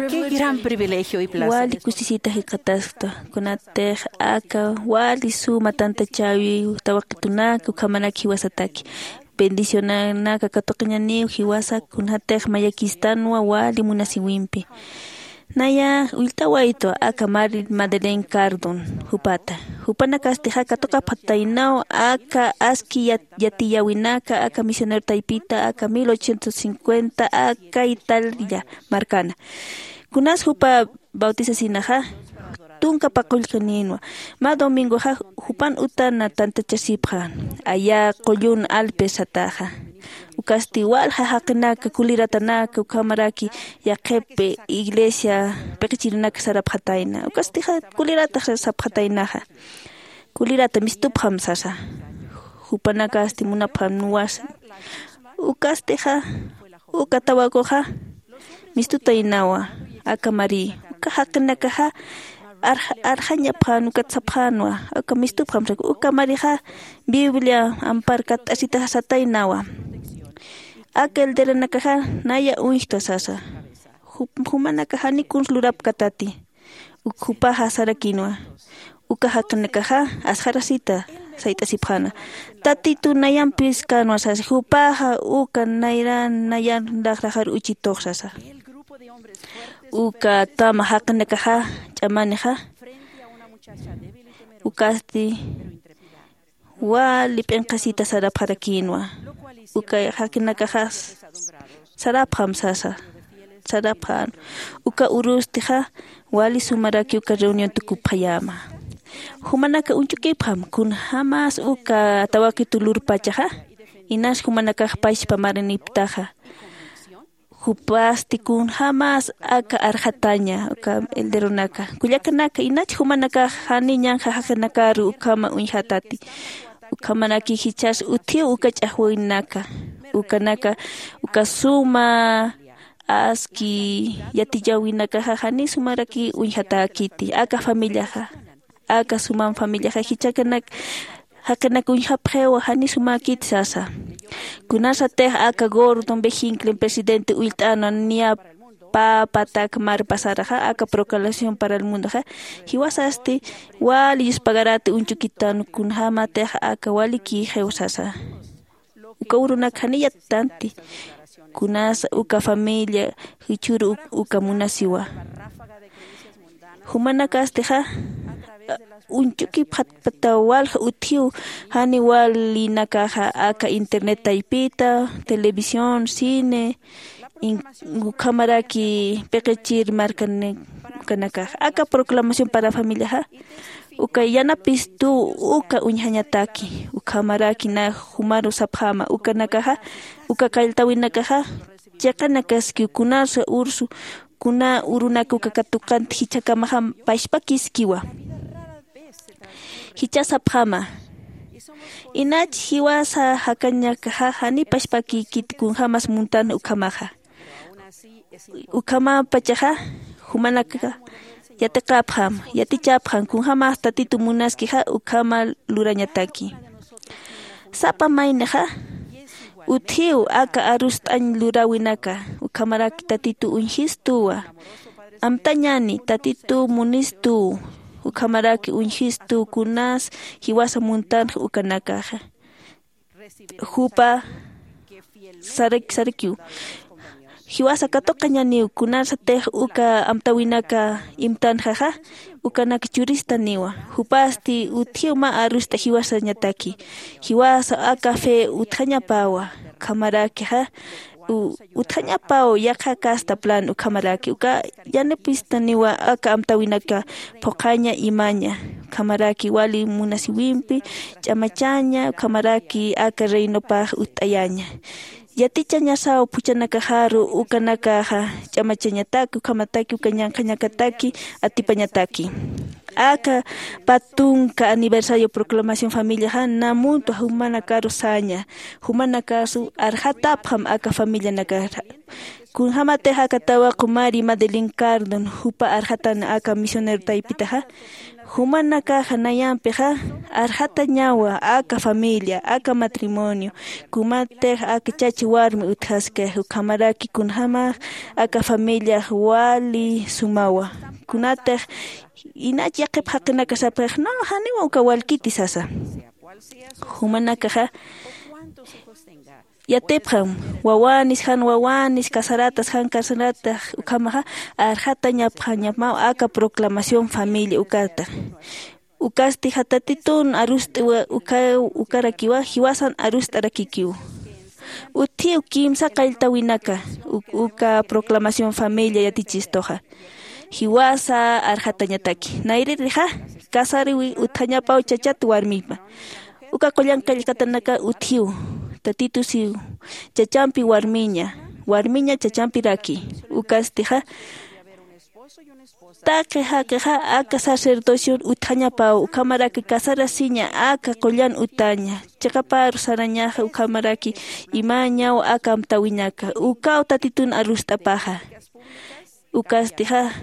Qué gran privilegio y placer. Wali kusisita jikxataskta, kunatix aka wali suma tantachäwi tawaqitunaka ukhamaraki jiwasataki. Bendicionanaka katuqañaniw jiwasa kunatix mayakistanwa wali munasiwimpi. Naya willt'awaytwa aka Mari Madeleine Cardon jupata. Jupanakastixa katuqapxataynaw aka aski yat- yatiyäwinaka aka misionero taypita aka mil ochocientos cincuenta aka Italia markana. Kunas jupa bautisasinaxa tunka paqullqinïnwa. Mä domingoxa jupan utana tantachasipxän aya qullun Alpes sataxa. Ukasti walja jaqinaka kuliratanaka ukhamaraki yaqhip iglesia piqichirinaka sarapxatayna. Ukastixa kuliratax sapxataynaxa. Kulirata mistupxam sasa. Jupanakasti munapxam nuwasa. Ukastixa uka tawaquxa mistutaynawa. Aka Mari uka jaqinakaxa arx- arxañapxän ukat sapxänwa. Aka mistupxam sasa uka Marixa Biblia ampar katt'asitaxa sataynawa. Aka elderonakaxa naya uñjta sasa. Ju- jumanakax janiw kuns lurapkatati. Uk jupaxa sarakïnwa. Uka jaqinakaxa asxarasita sayt'asipxäna. Tatitu nayampis känwa sasa jupaxa uka nayran nayan laxraxar uchitux sasa. Uka tama jaqinakaxa ch'amanixa ukasti wali p'inqasita sarapxarakïnwa. Uka jaqinakaxa sarapxam sasa. Sarapxän uka urustixa wali sumaraki uka reunión tukupxayäma. Jumanaka uñchukipxam kunjämas uka tawaqitu lurpachaxa. Inas jumanakax pachpa maraniptaxa jupasti kunjämas aka arxataña uka elderonaka kullakanaka inach jumanakax jani ñanxa jaqinakaru ukhama uñjatati. Ukhamaraki jichhas utjiw uka ch'axwinaka ukanaka uka suma aski yatiyäwinakaxa jani sumaraki uñjatäkiti aka familiaxa. Aka sumam familiaxa jichhakanak jaqinak uñjapxiwa jani sumäkit sasa. Kunasatix aka Gordon B Hinckley presidente ullt'änwa niya pä patak mar pasaraxa aka proclamación para el mundoxa jiwasasti wali yuspagarati uñchukitan kunjämatix aka walikïxiw sasa. Uka urunak janiy yattanti kunasa uka familia jichhüru uka munasiwa. Jumanakastixa uñchukipxatpata walja utjiw jani walinakaxa aka internet taypita televisión cine ukhamaraki piqichir markanik ukanakaxa aka proclamación para familiaxa uka yanapistuw uka uñjañataki ukhamaraki na jumaru sapxäma ukanakaxa uka kalltawinakaxa chiqanakaskiw kunasa ursu kuna urunak uka katuqanti jichhakamaxa pachpakiskiwa. Jichha sapxäma inach jiwasa jakañakaxa jani pachpakïkit kunjämas muntan ukhamaxa. Ukhamapachaxa jumanaka yatiqapxam yatichapxam kunjämas tatitu munaskixa ukhama lurañataki. Sapa maynixa utjiw aka arust'añ luräwinaka ukhamaraki tatitu uñjistuwa. Amtañäni tatitu munistuw ukhamaraki uñjistuw kunas jiwasa muntanx ukanakaxa. Jupa sarak sarakiw jiwasa katuqañaniw kunasatix uka amtäwinaka imtanxaxa ukanak churistaniwa. Jupasti utjiw mä arust'a jiwasañataki jiwasa aka fe utjañapäwa. Ukhamarakixa utjañapäw yaqha casta plan ukhamaraki uka yanapistaniwa aka amtäwinaka phuqhaña imaña. Ukhamaraki wali munasiwimpi ch'amachaña ukhamaraki aka reinopax utt'ayaña. Yatichañasaw phuchhanakaxaru ukanakaxa ch'amachañataki ukhamataki uka ñanqhañakataki atipañataki. Aka pä tunka aniversario proclamación familiaxa na muntwa jumanakaru saña jumanakasu arxatapxam aka familianakaxa. Kunjämatix aka tawaqu mari madeline cardon jupa arxatan aka misionero taypitaxa jumanakaxa nayampixa arxatañawa aka familia, aka matrimonio, kumatix aka chacha warmi utjaskix, ukhamaraki kunjämax aka familiax wali sumawa. Kunatix inach yaqhip jaqinaka sapxix, no, janiwa uka walkiti sasa. Jumanakaxa yatipxam, wawanis jan wawanis, casaratas jan casaratas, ukhamaxa arxatañapxañapmaw aka proclamación familia ukata. Ukastixa tatitun arust'iwa uka, ukarakiwa jiwasan arust'arakikiw. Utjiw kimsa qalltawinaka uk-, uka proclamación familia yatichistuxa. Jiwasa arxatañataki. Nayririxa, casariwi utjañapaw chachat warmipa. Uka qullan qillqatanaka utjiw, tatitusiw, chachampi warmiña, warmiña chachampiraki. Ukastixa, taqi jaqixa aka sacerdocion utjañapaw, ukhamaraki casarasiña aka qullan utaña, chiqaparu sarañaxa, ukhamaraki imañaw aka amtawinaka, ukaw tatitun arust'apaxa. Ukastixa,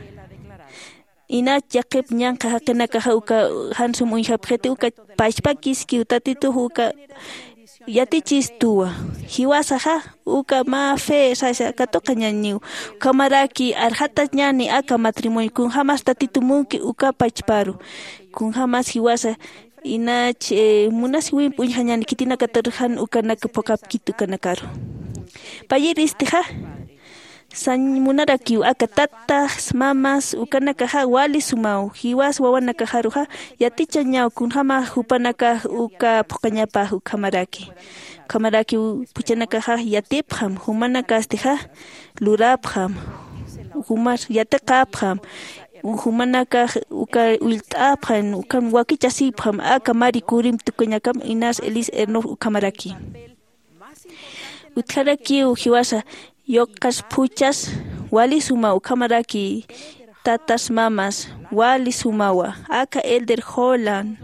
inach yaqhip ñanqha jaqinakaxa uka jan sum uñjapxiti, uka pachpakiskiw tatitux uka yatichistuwa. Jiwasaxa uka mä fe sasa katuqañaniw. Ukhamaraki arxatañani aka matrimonio, kunjämas tatitu munki uka pachparu. Kunjämas jiwasa inach, eh, munasiwimp uñjañani khitinakatar jan ukanaka phuqhapkit ukanakaru. Payiristixa, sañ munarakiw aka tatas, mamas, ukanakaxa wali sumaw, jiwas wawanakaxaruxa yatichañaw kunjämax jupanakax uka phuqhañapax ukhamaraki. Ukhamarakiw phuchhanakaxax yatipxam, jumanakastixa lurapxam, jumar yatiqapxam, jumanakax uka ullt'apxam, ukham wakichasipxam, aka Marie Curie tukuñakam, Inés Elis Ernaux ukhamaraki. Utjarakiw jiwasa, yuqas phuchhas wali sumaw, ukhamaraki tatas mamas wali sumawa, aka Elder Holland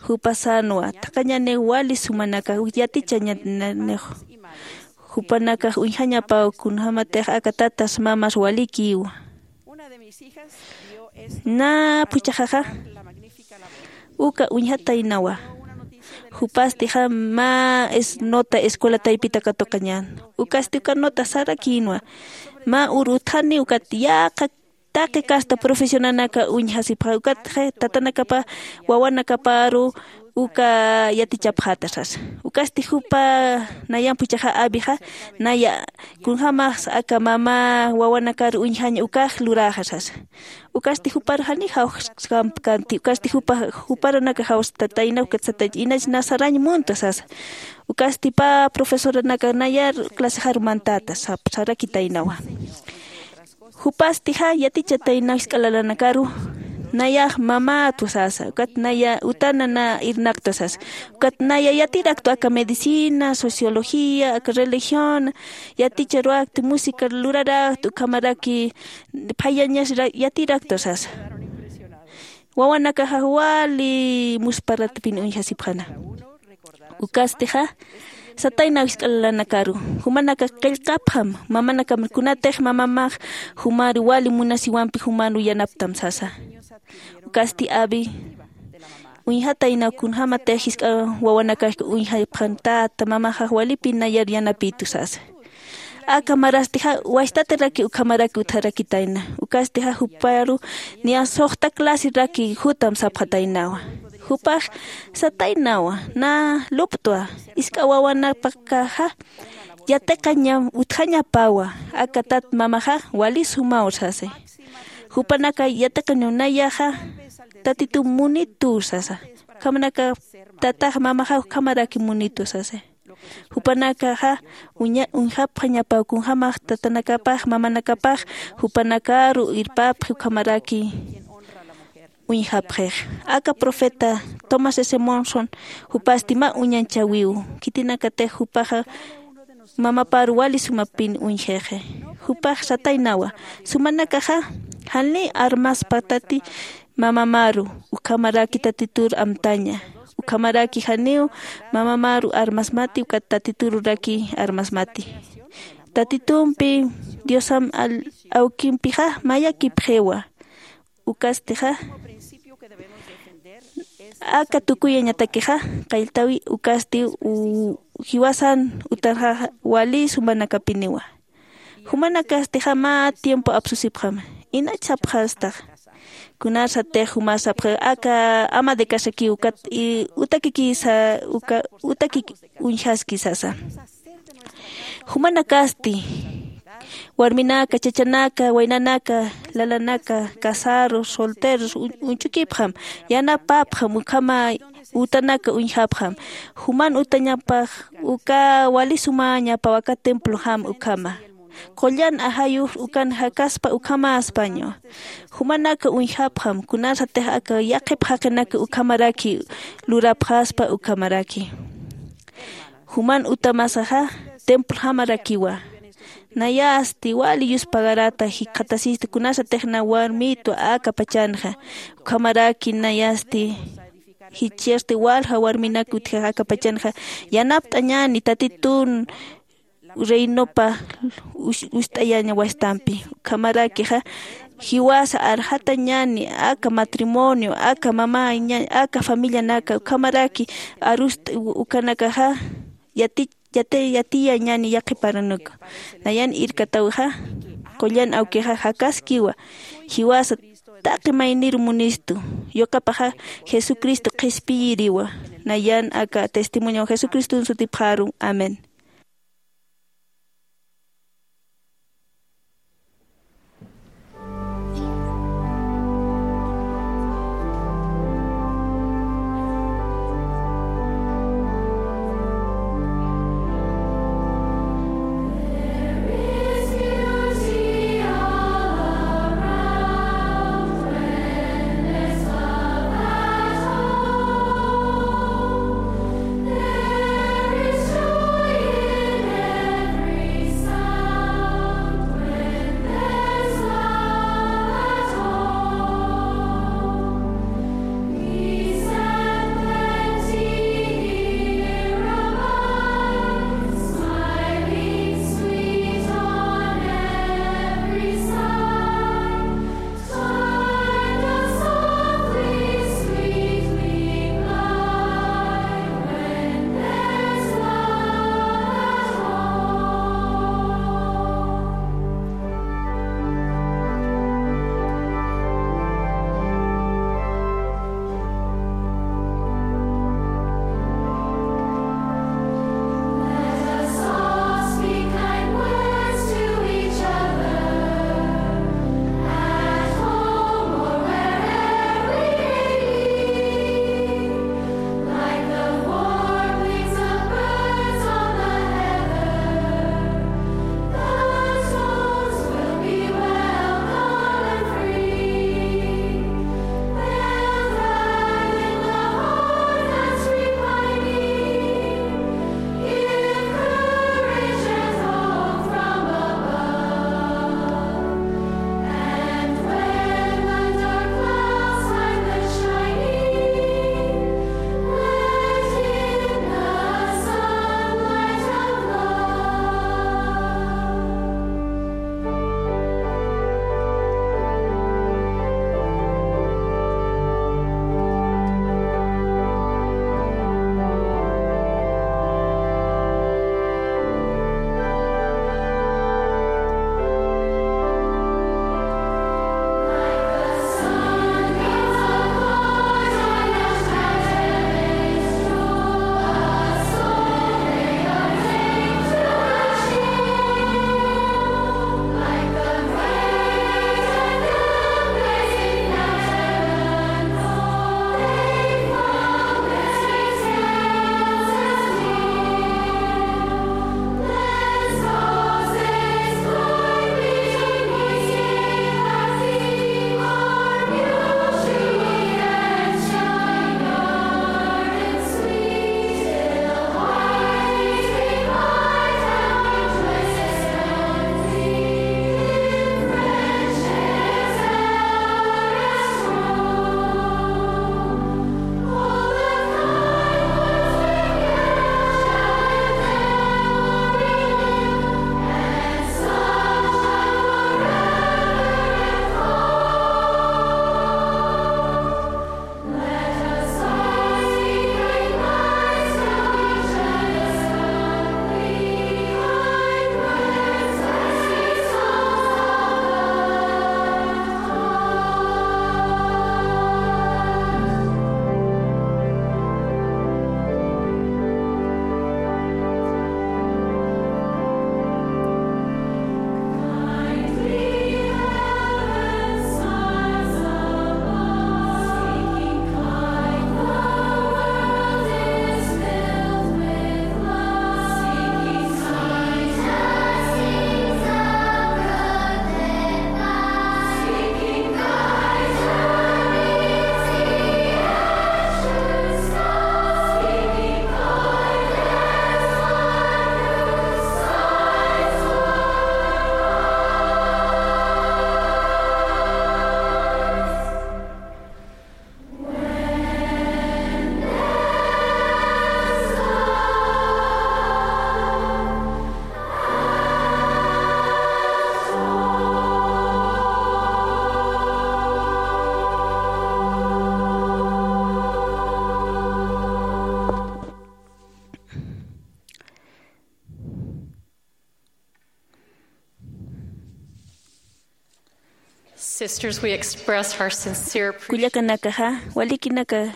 jupasanwa, taqañaniw wali sumanaka yatichañanix. Jupanakax uñjañapaw kunjämatix aka tatas mamas walikiwa. Nä phuchhaxaxa uka uñjataynawa. Jupastixa mä es-, nota escuela taypita katuqañän. Ukasti uka nota sarakïnwa. Mä uru utjani ukat yäqa taqi kasta profesionanaka uñjasipxa, ukatxa tatanakapa wawanakaparu uka yatichapxäta sasa. Ukasti jupa nayan phuchhaxa Abixa, naya kunjämax aka mama wawanakar uñjaña ukax luräxa sasa. Ukasti jupar jani jawxkampkanti, ukasti jupa, juparanaka jawst'atayna, ukat satay, inach na sarañ munta sasa. Ukasti pä profesoranaka nayar clasexar mantäta sap-, sarakitaynawa. Jupastixa yatichataynaw jisk'a lalanakaru, nayax mamätwa sasa, ukat naya utana na irnaqta sasa, ukat naya yatiraktwa aka medicina, sociología, aka religión, yaticharuwakti, música lurarakti, ukhamaraki phayañas ra-, yatiraktwa sasa. Wawanakaxax wali musparatpin uñjasipxäna. Ukastixa, sataynaw jisk'a lalanakaru, jumanakax qillqapxam, mamanakam kunatix mamamax jumar wali munasiwampi jumar yanaptam sasa. Ukasti Abi, uñjataynaw kunjämatix jisk'a wawanakax uñjapxän, tata mamaxax walipï nayar yanapïtu sasa. Aka marastixa wachtatiraki ukhamaraki utjarakitayna. Ukastixa juparu niya suxta clasiraki jutam sapxataynawa. Jupax sataynawa, na luptwa, jisk'a wawanakapaxa yatiqaña utjañapawa, aka tat mamaxa wali sumaw sasi. Jupanaka yatiqañaw nayaxa Tatitu munituw sasa. Ukhamanaka tatax mamaxa ukhamaraki munituw sasa. Jupanakaxa uña-, uñjapxañapaw kunjämax tatanakapax, mamanakapax, jupanakaru irpapxi ukhamaraki uñjapxix. Aka profeta Thomas S. Monson jupasti mä uñanchäwiw. Khitinakatix jupaxa mamapar wali sumapin uñjixi. Jupax sataynawa, sumanakaxa janiw armaspatati mamamaru, ukhamaraki Tatitur amtaña. Ukhamaraki janiw mamamaru armasmati, ukat Tatitururaki armasmati. Tatitumpi, Diosam al-, awkimpixa mayakipxiwa. Ukastixa, Aka tukuyañatakixa qalltawi ukasti u-, jiwasan utarxaxa wali sumanakapiniwa. Jumanakastixa mä tiempo apsusipxam. Inach sapxastax. Kunasatix jumasapxa aka ama de casakiw ukat i utakikisa uka utakik uñjaski sasa. Jumanakasti warminaka, chachanaka, waynanaka, lalanaka, casaros, solteros un-, uñch'ukipxam, yanapapxam ukhama utanaka uñjapxam. Juman utañapax uka wali sumaña pawaka templojam ukhama. Qullan ajayux ukan jakaspa ukhamaspaña. Jumanaka uñjapxam kunasatix aka yaqhip jaqinaka ukhamaraki lurapxaspa ukhamaraki. Juman utamasaxa templojamarakiwa. Nayasti wali yuspagarata jikxatasista kunasatix na warmitwa aka pachanxa. Ukhamaraki nayasti jichhasti walja warminak utjax aka pachanxa yanapt'añäni Tatitun reinopa us-, ust'ayañawastampi. Ukhamarakixa jiwasa arxatañäni aka matrimonio, aka mama ña-, aka familianaka, ukhamaraki arust ukanakaxa yati-, yati-, yatiyañäni yaqhiparanaka. Nayan irkatawixa qullan awkixa jakaskiwa, jiwasa taqi maynir munistu, yuqapaxa Jesucristo qhispiyiriwa. Nayan aka testimonio Jesucriston sutipxaru. Amén. Sisters, we express our sincere appreciation. Kullakanakaxa, walikinaka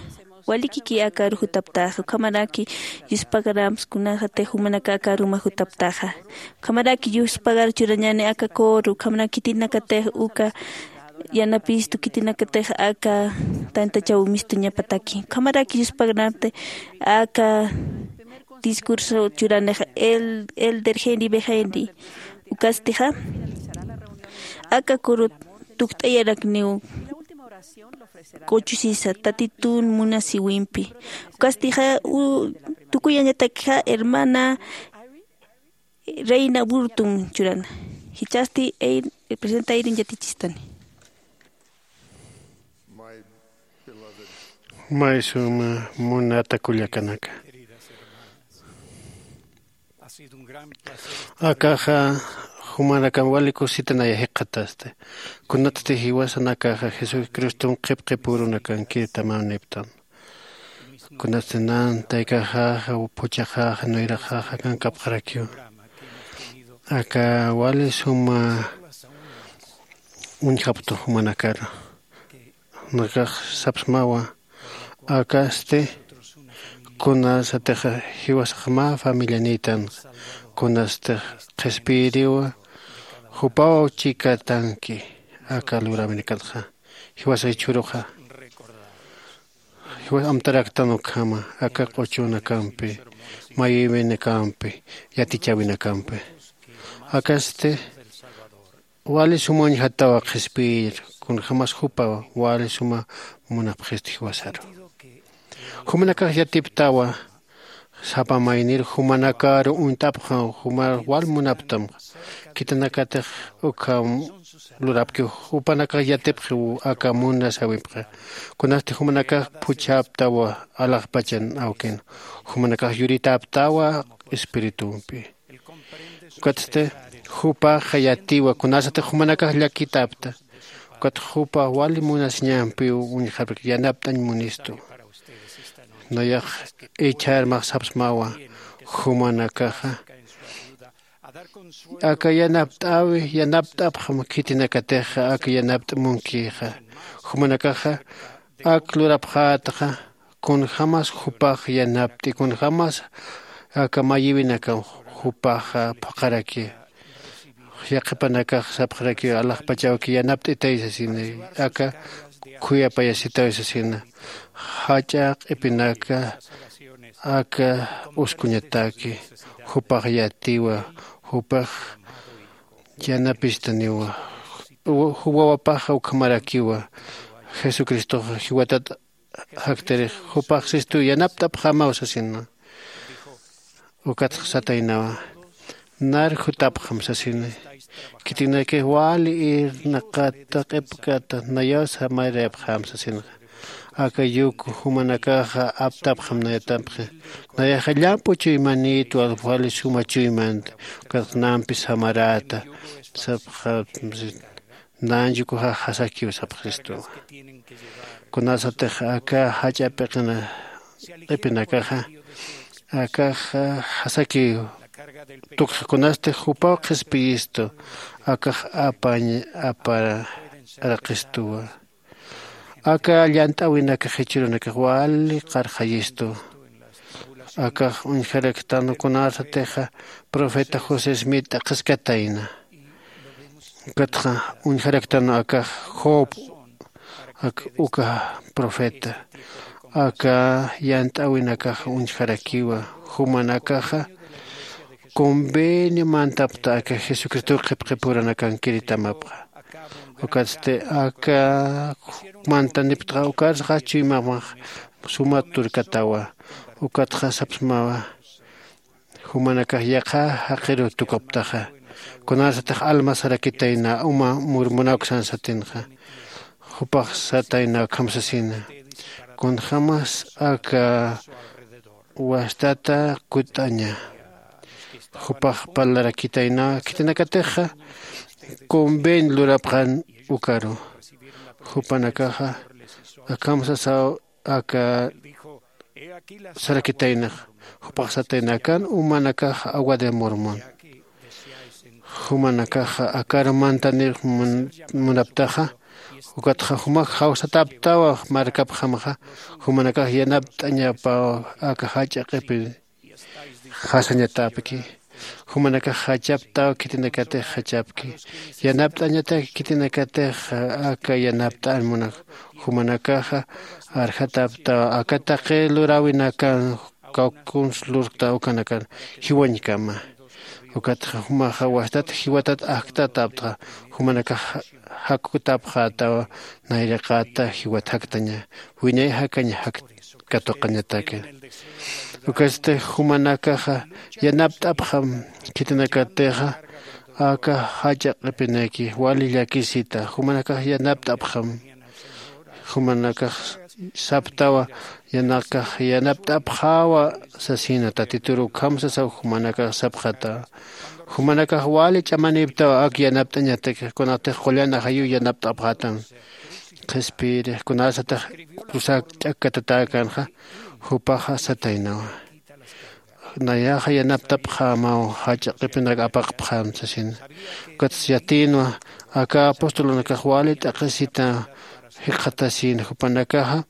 walikiki akaru jutaptaxa, ukhamaraki yuspagarams kunasatix jumanaka akaru jutaptaxa. Ukhamaraki yuspagar churañani aka coro, ukhamaraki khitinakatix uka yanapistu, khitinakatix aka tantachaw mistuñapataki, ukhamaraki yuspagarnati aka discurso churanixa el elder Henry B. Henry. Ukastixa aka coro tukt'ayarakniw q'uchusisa Tatitun munasiwimpi. Ukastixa tukuyañatakixa hermana Reina Burton churana. Jichhasti presidenta Irene yatichistani. May suma munata kullakanaka, akaxa jumanakan wali kusitanaya jikxatasti. Kunatsti jiwasanakaxa Jesucriston qhipqipurunakankiritamaniptan. Kunatsti nan taykaxaxa phuchaxaxa nuyraxaxa kankapxarakiw, aka wali suma uñjaptu jumanakaru. Nakax sapsmawa, akasti kunasatix jiwasax mä familianïtanxa, kunastix qhispiyiriwa jupaw chikatanki aka luräwinakatxa. Jiwasa jichhüruxa jiwas amtaraktan ukhama aka q'uchunakampi, mayïwinakampi, yatichäwinakampi. Akasti wali suma uñjatawa qhispiyir, kunjämas jupa wali suma munapxistu jiwasaru. Jumanakax yatiptawa sapa maynir jumanakaru uñt'apxam, jumar wal munaptam. Khitinakatix ukham lurapkiw, jupanakax yatipxiw aka munasawipxa. Kunasti jumanakax phuchhaptawa alaxpachan awkin, jumanakax yuritäptawa espiritumpi. Ukatsti jupaxa yatiwa kunasatix jumanakax llakitäpta. Ukat jupa wali munasiñampiw uñjarpki, yanapt'añ munistu. Nayax ichharmax sapsmawa, jumanakaxa aka yanapt'äwi, yanapt'apxam khitinakatixa aka yanapt'amunkixa. Jumanakaxa ak lurapxätaxa kunjämas jupax yanapt'i, kunjämas aka mayïwinakam jupaxa phuqharaki. Yaqhipanakax sapxaraki, alaxpach awki yanapt'itay sasina, aka khuyapayasitaw sasina. Jach'a q'ipinaka aka uskuñataki, jupax yatiwa, jupax yanapistaniwa. Ju wawapaxa ukhamarakiwa, Jesucristoxa jiwatat jaktirix, jupax sistu yanapt'apxämaw sasina. Ukatxa sataynawa, nar jutapxam sasini. Khitinakix wali irnaqata q'ipkata nayaw samarayapxäm sasinxa. Aka yuku jumanakaxa aptapxam nayatapxi. Nayaxa llamp'u chuymanïtwa, wali suma chuymanta. Ukatxa nampi samaräta sapxam sasina. Nan yukuxa jasakiw sapxistu. Kunasatix aka jach'a p'iqina q'ipinakaxa akaxa jasakiw tukxa, kunastix jupaw qhispiyistu, akax apañ aparaqistuwa. Aka llant'äwinakax jichhürunakax wali qarxayistu. Akax uñjaraktan kunasatixa profeta José Smith t'aqhiskatayna. Ukatxa uñjaraktan akax Job, ak uka profeta. Aka llant'äwinakax uñjarakiwa, jumanakaxa convenio mantapta aka Jesucristow qhipqipuranakankiritamapaxa. Ukatsti aka mantaniptxa ukarsaxa chuymamax suma turkatawa. Ukatxa sapsmawa, jumanakax yaqha jaqiru tukaptaxa, kunasatix alma sarakitayna uma murmunaw uksan satinxa. Jupax satayna ukham sasina, kunjämas aka wastata kutt'aña. Jupax parlarakitayna khitinakatixa convenio lurapxän ukaru. Jupanakaxa akham sasaw aka sarakitaynax. Jupax satayna, akan umanakax agua de Mormón. Jumanakaxa akar mantanir mun- munaptaxa, Ukatxa jumax jawsatäptawa markapxamxa, jumanakax yanapt'añapaw aka jach'a q'ipi jasañatäpki. Jumanakax jachaptaw khitinakatix jachapki. Yanapt'añatak khitinakatix aka yanapt'an munak. Jumanakaxa arjatäptaw aka taqi luräwinakan kawkuns lurkta ukanakan jiwañkama. Ukatxa jumaxa wastat jiwatat ajktatäptxa, jumanakax jakkutäpxätawa nayraqata jiwat jaktaña, wiñay jakañ katuqañataki. Ukatsti jumanakaxa yanapt'apxam khitinakatixa aka jach'a q'ipinaki wali llakisita jumanakax yanapt'apxam. Jumanakax saptawa yanakax yanapt'apxäwa sasina tatituru ukham sasaw jumanakax sapxata. Jumanakax wali ch'amaniptawa ak yanapt'añatak kunatix qullan ajayu yanapt'apxätam. Qhispiyirix kunasatix kusak ch'akkatatäkänxa jupaxa sataynawa. Nayaxa yanaptapxämaw jach'a q'ipinak apaqpxäm sasina. Ukatsa yatïnwa aka apostolunakax wali t'aqhisita jikxatasïn jupanakaxa.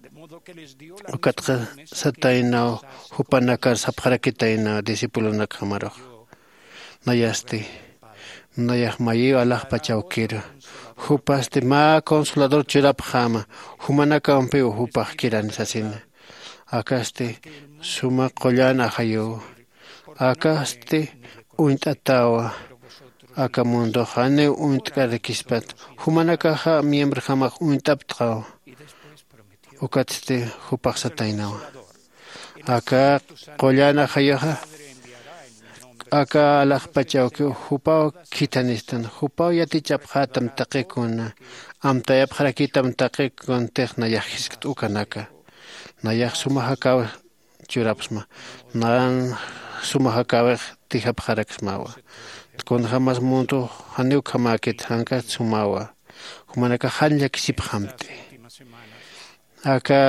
Ukatxa sataynaw jupanakar sapxarakitayna discipulonakjamarux. Nayasti nayax mayiw alaxpach awkiru. Jupasti mä consolador churapxäma jumanakampiw jupax kirani sasina. Akasti suma qullan ajayuw. Akasti uñt'atäwa. Aka mundox janiw uñt'karakispat. Jumanakaxa miembrojamax uñt'aptxaw. Ukatsti jupax sataynawa aka qullan ajayuxa aka alaxpach awkiw jupaw khithanistan. Jupaw yatichapxätam taqikuna amtayapxarakitam taqi kuntix nayax jiskt ukanaka. Nayax suma jakäwix churapxsma. Nan suma jakäwix tijapxaraksmawa. Kunjämas mundo janiw ukhamäkit jankast sumawa. Jumanakax jan llakisipxamti. Aka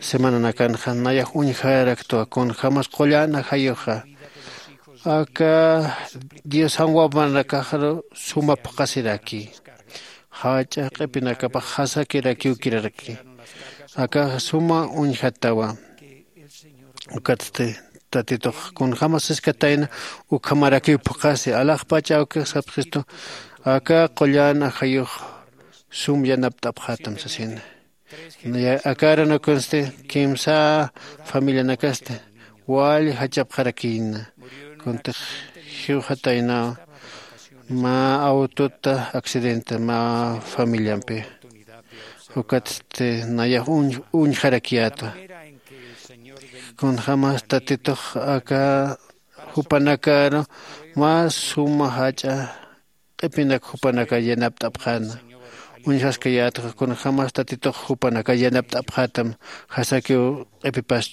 semananakanxa nayax uñjaraktwa kunjämas qullan ajayuxa aka diosan wawmanakaxaru suma phuqhasiraki. Jach'a q'ipinakapax jasakirakiw kiraraki. Akaxa suma uñjatawa. Ukatsti tatitux kunjämas siskatayna ukhamarakiw phuqhasi alaxpach awkix sapxistu. Aka qullan ajayux sum yanapt'apxätam sasina. Aka arunakunsti kimsa familianakasti wali jachapxarakïna. Kuntix jiwxataynaw mä autota accidente mä familiampi. Ukatsti nayax uñjarakiyätwa. Kunjämas tatitux aka jupanakaru mä suma jach'a q'ipinak jupanakar yanapt'apxäna. Uñjaskayätxa kunjämas tatitux jupanakar yanapt'apxätam jasakiw q'ipipas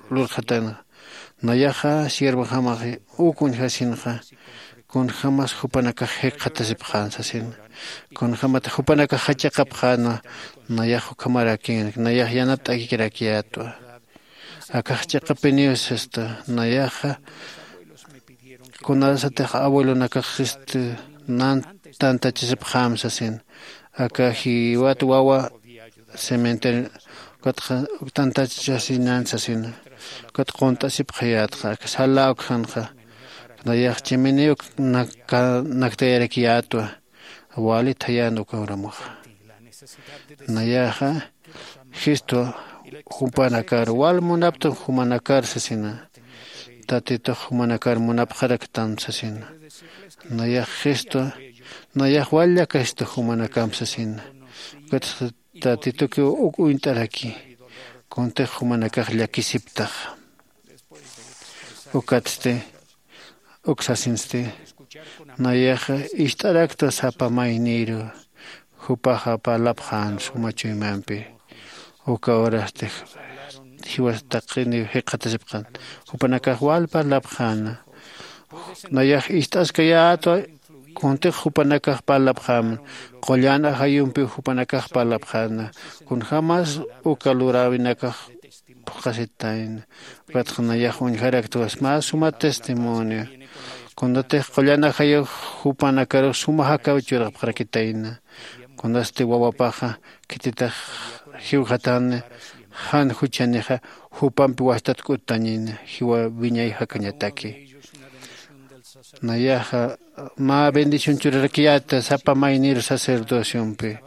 lurxatana. Nayaxa siervojamaxi uk uñjasinxa kunjämas jupanakax jikxatasipxän sasina. Kunjämatix jupanakax jachiqapxänwa. Nayax ukhamarakïnki nayax yanapt'akikirakiyätwa. Akax chiqapiniw sista nayaxa kunasatix abuelonakax sista nan tantachisipxäm sasin. Aka jiwat wawa cementerio ukatxa tantachasinan sasina. Ukat qunt'asipxayätxa aka sala ukxanxa nayax chiminiw naktayarakiyätwa. Wali thayän uka uramuxa nayaxa jistwa jupanakar wal munaptam jumanakar sasina. Tatitux jumanakar munapxaraktam sasina. Nayax jistwa nayax wal llakasita jumanakamp sasina. Ukatxa tatitukiw uk uñt'araki kuntix jumanakax llakisiptaxa. Ukatsti uk sasinsti nayaxa ist'araktwa sapa mayniru jupaxa parlapxän suma chuymampi. Uka urasti jiwas taqiniw jikxatasipxän jupanakax wal parlapxäna. Nayax ist'askayätwa kuntix jupanakax parlapxämna. Qullan ajayumpiw jupanakax parlapxäna kunjämas uka luräwinakax phuqhasitayna. Ukatxa nayax uñjaraktwa mä suma testimonio kunatix qullan ajayux jupanakarux suma jakaw churapxarakitayna. Kunasti wawapaxa khititix jiwxatani jan juchanixa jupampi wajtat k'uttañin jiwa wiñay jakañataki. Nayaxa mä bendición churarakiyäta sapa maynir sacerdociompi.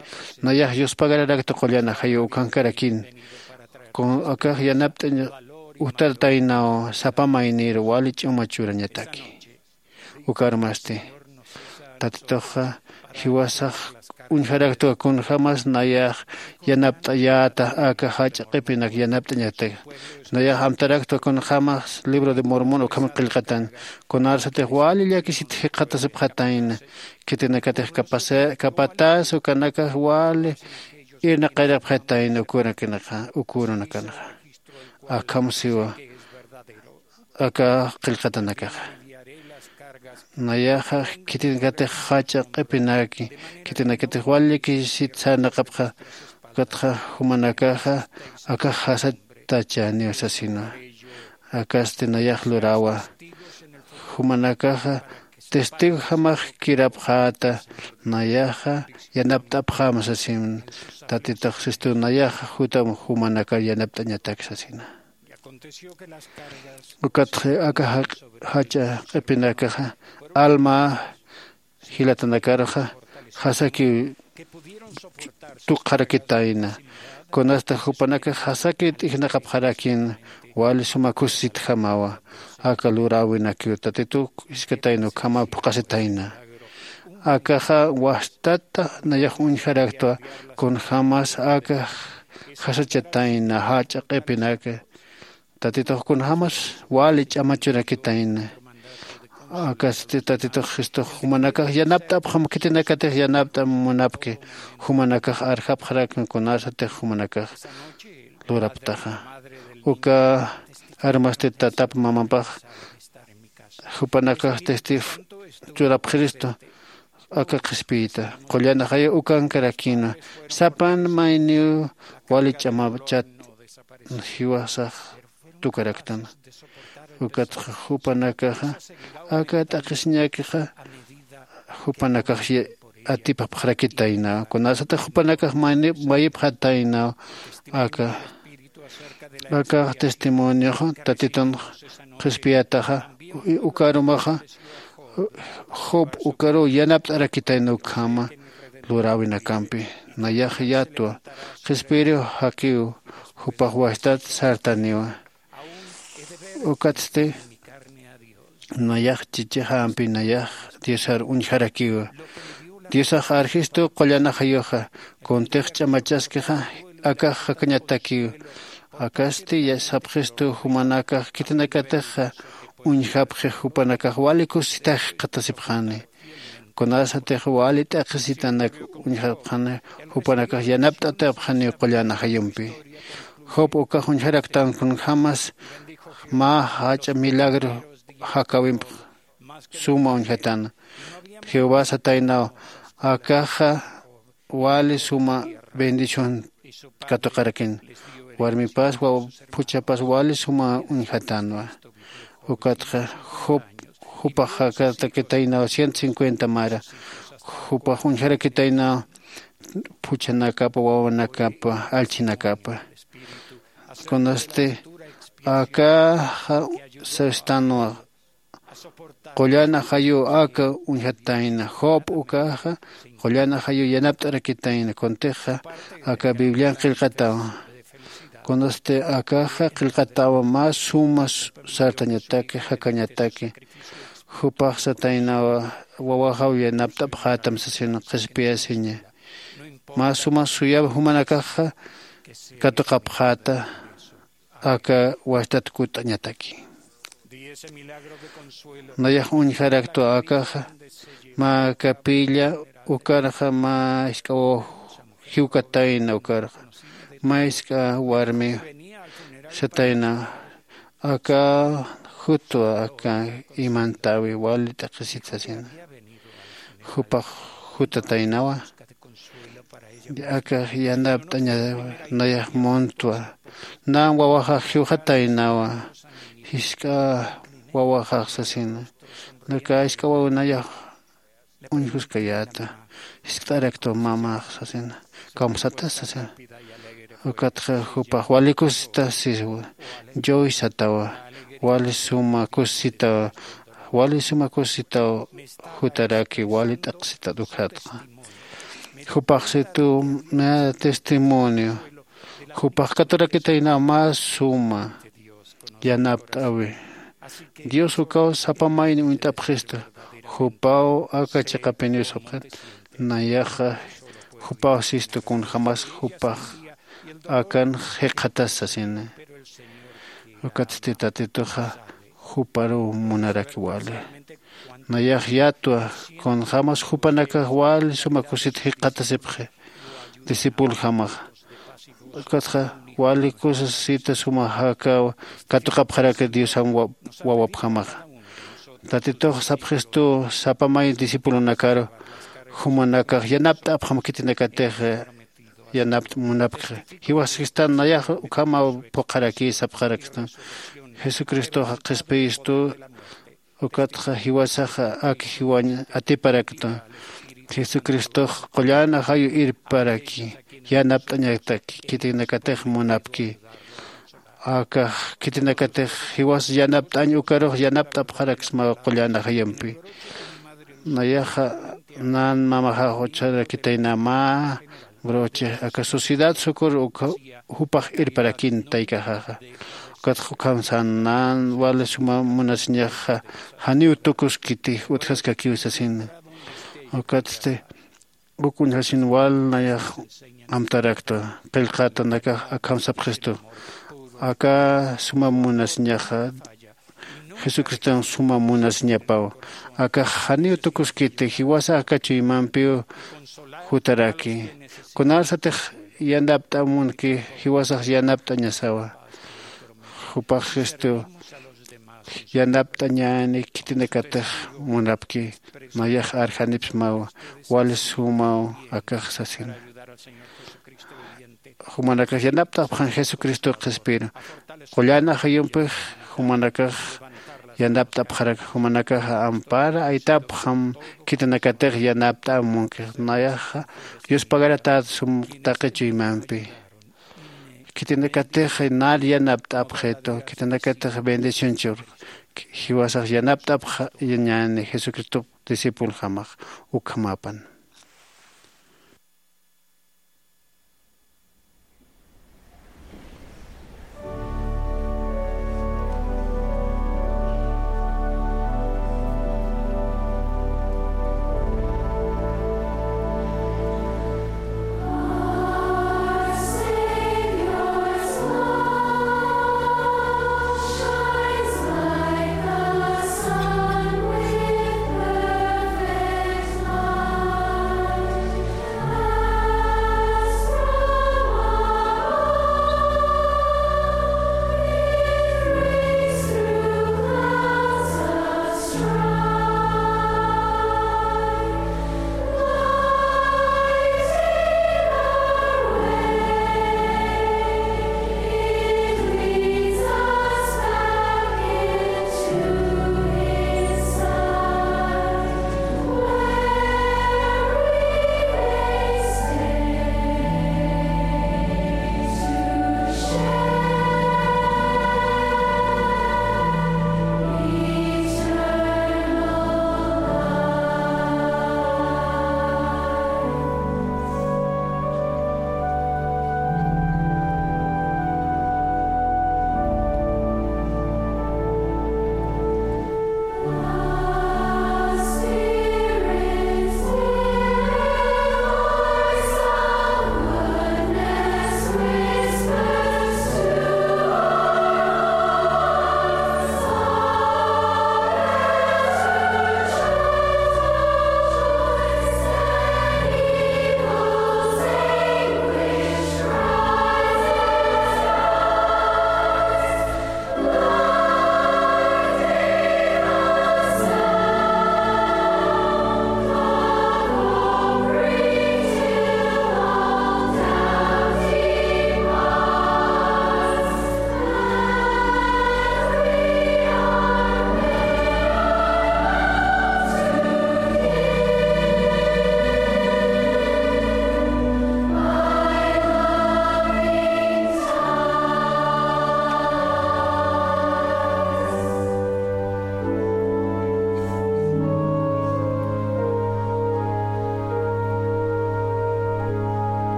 Nayax yuspagararakta qullan ajayu ukankarakin akax yanapt'añ ujtartaynaw sapa maynir wali ch'uma churañataki. Ukarmasti tatituxa jiwasax uñjaraktwa kunjämas nayax yanapt'ayäta aka jach'a q'ipinak yanapt'añatak. Nayax amtaraktwa kunjämas libro de mormon ukham qillqatan kunarsatix wali llakisit jikxatasipxatayna. Khitinakatix kapatas ukanakax wali irnaqayrapxatayna ukurunakanaxa. Akham siwa aka qillqatanakaxa. Nayaxa khitinakatix jach'a q'ipinaki khitinakatix wali llakisit sarnaqapxa. Ukatxa jumanakaxa akax jasatachäniw sasinwa. Akasti nayax lurawa jumanakaxa testigojamax kirapxäta. Nayaxa yanapt'apxäma sasin. Tatitux sistu nayaxa jutam jumanakar yanapt'añatak sasina. Ukatxa aka jach'a q'ipinakaxa alma jilatanakaruxa jasakiw tukxarakitayna. Kunasta jupanakax jasakiw t'ijnaqapxarakïna wali suma kusisitjamawa. Aka luräwinakiw tatitu jiskatayna ukhamaw phuqhasitayna. Akaxa wajtata nayax uñjaraktwa kunjämas aka jasachatayna jach'a q'ipinaka. Tatitux kunjämas wali ch'amachurakitayna. Akasti tatitux jistux jumanakax yanapt'apxam khitinakatix yanapt'am munapki jumanakax arjapxarakna kunasatix jumanakax luraptaxa. Uka armasti tatap mamapax jupanakax testif churapxiristu aka qhispiyita qullan ajayu ukankarakïna sapan mayniw wali ch'amachat jiwasax tukaraktan. Ukatxa jupanakaxa aka t'aqhisiñakixa jupanakax atipapxarakitaynaw kunasatix jupanakax mayipxataynaw. Aka aka testimonioxa tatitun qhispiyataxa ukarumaxa job ukaruw yanapt'arakitayna ukhama luräwinakampi. Nayax yatwa qhispiyiriw jakiw jupax wajtat sartaniwa. Ukatsti nayax chichixampi nayax diosar uñjarakiwa. Diosax arjistu qullan ajayuxa kuntix ch'amachaskixa akax jakañatakiw. Akasti sapxistu jumanakax khitinakatixa uñjapxix jupanakax wali kusisitax jikxatasipxani. Kunasatix wali t'aqhisitanak uñjapxani jupanakax yanapt'atapxaniw qullan ajayumpi. Job ukax uñjaraktan kunjämas mä jach'a milagro jakäwimp suma uñjatana. Jehová sataynaw akaxa wali suma bendición katuqarakin. Warmipas phuchhapas wali suma uñjatanwa. Ukatxa job jupax jakatakitaynaw ciento cincuenta mara jupax uñjarakitaynaw phuchhanakapa wawanakapa allchhinakapa. Kunasti akaxa sastanwa qullan ajayu aka uñjatayna job ukaxa qullan ajayu yanapt'arakitayna kuntixa aka biblian qillqatawa. Kunasti akaxa qillqatawa mä suma sartañataki jakañataki. Jupax sataynawa wawaxaw yanapt'apxätam sasin qhispiyasiña. Mä suma suyaw jumanakaxa katuqapxäta aka wajtat kutt'añataki. Nayax uñjaraktwa akaxa mä capilla ukarxa mä jisk'a waw jiwkatayna ukarxa mä jisk'a warmi satayna aka jutwa aka imantawi wali t'aqhisit sasina. Jupax jutataynawa aka yanapt'aña nayax muntwa. Nan wawaxax jiwxataynawa jisk'a wawaxax sasina. Naka jisk'a waw nayax uñjuskayäta. Jiskt'araktu mamax sasina, kamsatas sasina. Ukatxa jupax wali kusisita sisiwa, joy satawa, wali suma kusisitawa, wali suma kusisitaw jutaraki wali t'aqsitat ukxatxa. Jupax situ mä testimonio, jupax katurakitayna mä suma yanapt'äwi. Dios ukaw sapa mayni uñt'apxistu, jupaw aka chiqapiniw sapxit. Nayaxa jupaw sistu kunjämas jupax akan jikxatas sasini. Ukatsti Tatituxa juparuw munaraki wali. Nayax yatwa kunjämas jupanakax wali suma kusit jikxatasipxi discipulojamaxa. Ukatxa wali kusasita suma jakaw katuqapxaraki Diosan wa-, wawapjamaxa. Tatitux sapxistu sapa may discipulonakaru, jumanakax yanapt'apxam khitinakatix yanapt'a munapkxa. Jiwaskistan nayax ukhamaw phuqharaki sapxarakstan. Jesucristoxa qhispiyistu, ukatxa jiwasaxa ak jiwañ atiparaktu. Jesucristox qullan ajayu irparaki, yanapt'añataki, khitinakatix munapki. Akax khitinakatix jiwas yanapt'añ ukarux yanapt'apxaraksmaw qullan ajayumpi. Nayaxa nan mamaxax ucharakitayna mä broche aka sociedad sukur ukha jupax irparakin taykaxaxa. Ukatxa ukham san nan wali suma munasiñaxa janiw tukuskiti utjaskakiw sasina. Ukatsti uk uñjasin wal nayax amtarakta, qillqatanakax akham sapxistu. Aka suma munasiñaxa Jesucriston suma munasiñapaw. Akax janiw tukuskiti, jiwasa aka chuymampiw jutaraki. Kunarsatix yanapt'amunki, jiwasax yanapt'añasawa. Jupax Cristo yanapt'añäni khitinakatix munapki, nayax arjanipsmaw, wali sumaw akax sasina. Jumanakax yanapt'apxam Jesucristo qhispiru. Qullan ajayumpix jumanakax yanapt'apxarak, jumanakax ampara aytapxam khitinakatix yanapt'amunkix. Nayaxa yuspagaratat sum taqi chuymampi. Khitinakatix nar yanapt'apxitu, khitinakatix bendición chur, jiwasax yanapt'apxañäni Jesucristo discípulo jamax ukhamapan.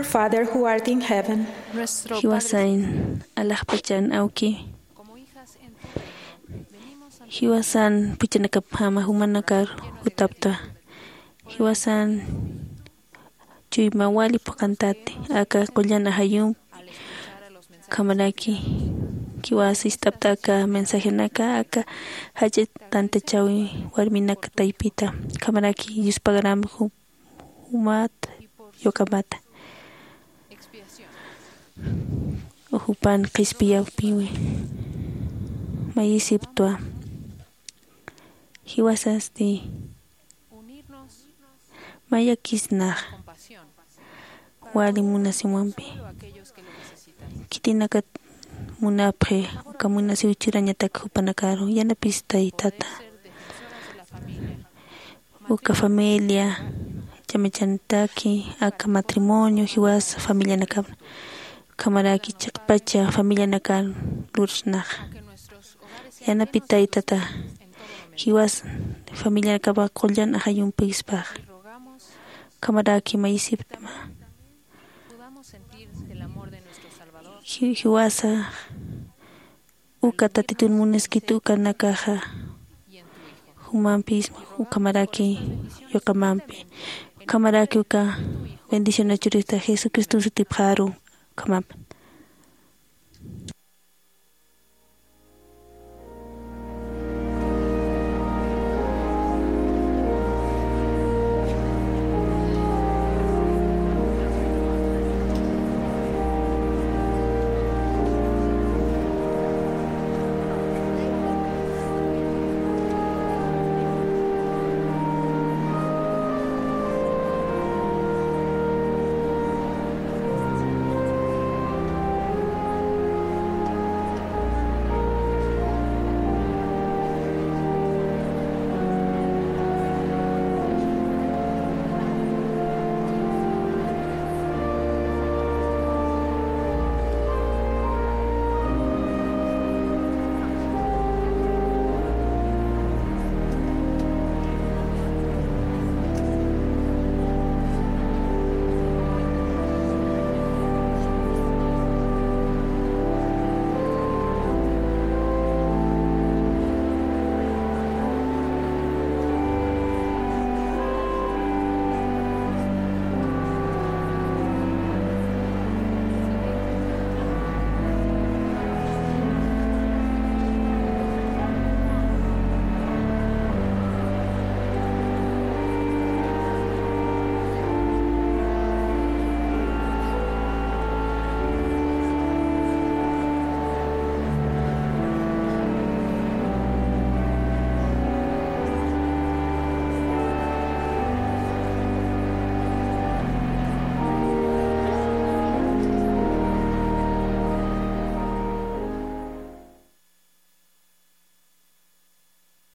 Father who art in heaven. Nuestro Padre, jiwasañ alaxpachan awki, como hijas en ti, venimos ante jiwasan puchanakapjama jumanakar jutapta. Jiwasan chuyma wali phuqantati aka qullan ajayumpi. Ukhamaraki jiwas ist'apta aka mensajenaka aka jach'a tantachäwi warminak taypita. Ukhamaraki yuspagarama ju- jumat yuqamata jupan qhispiyawpiwi. Mayisiptwa jiwasasti mayakisnax wali munasiwampi. Khitinakat munapxi uka munasiw churañatak jupanakaru yanapistay tata. Uka familia chamachantaki aka matrimonio jiwasa familianakapna. Ukhamaraki chiqpacha familianakan lursnaxa yanapitay tata. Jiwas familianakapa qullan ajayumpispax. Ukhamaraki mayisiptma jiwasa uka tatitun muniskit ukanakaxa jumampis ukhamaraki yuqamampi. Ukhamaraki uka bendición achurista jesucriston sutipxaru. Ukhamampi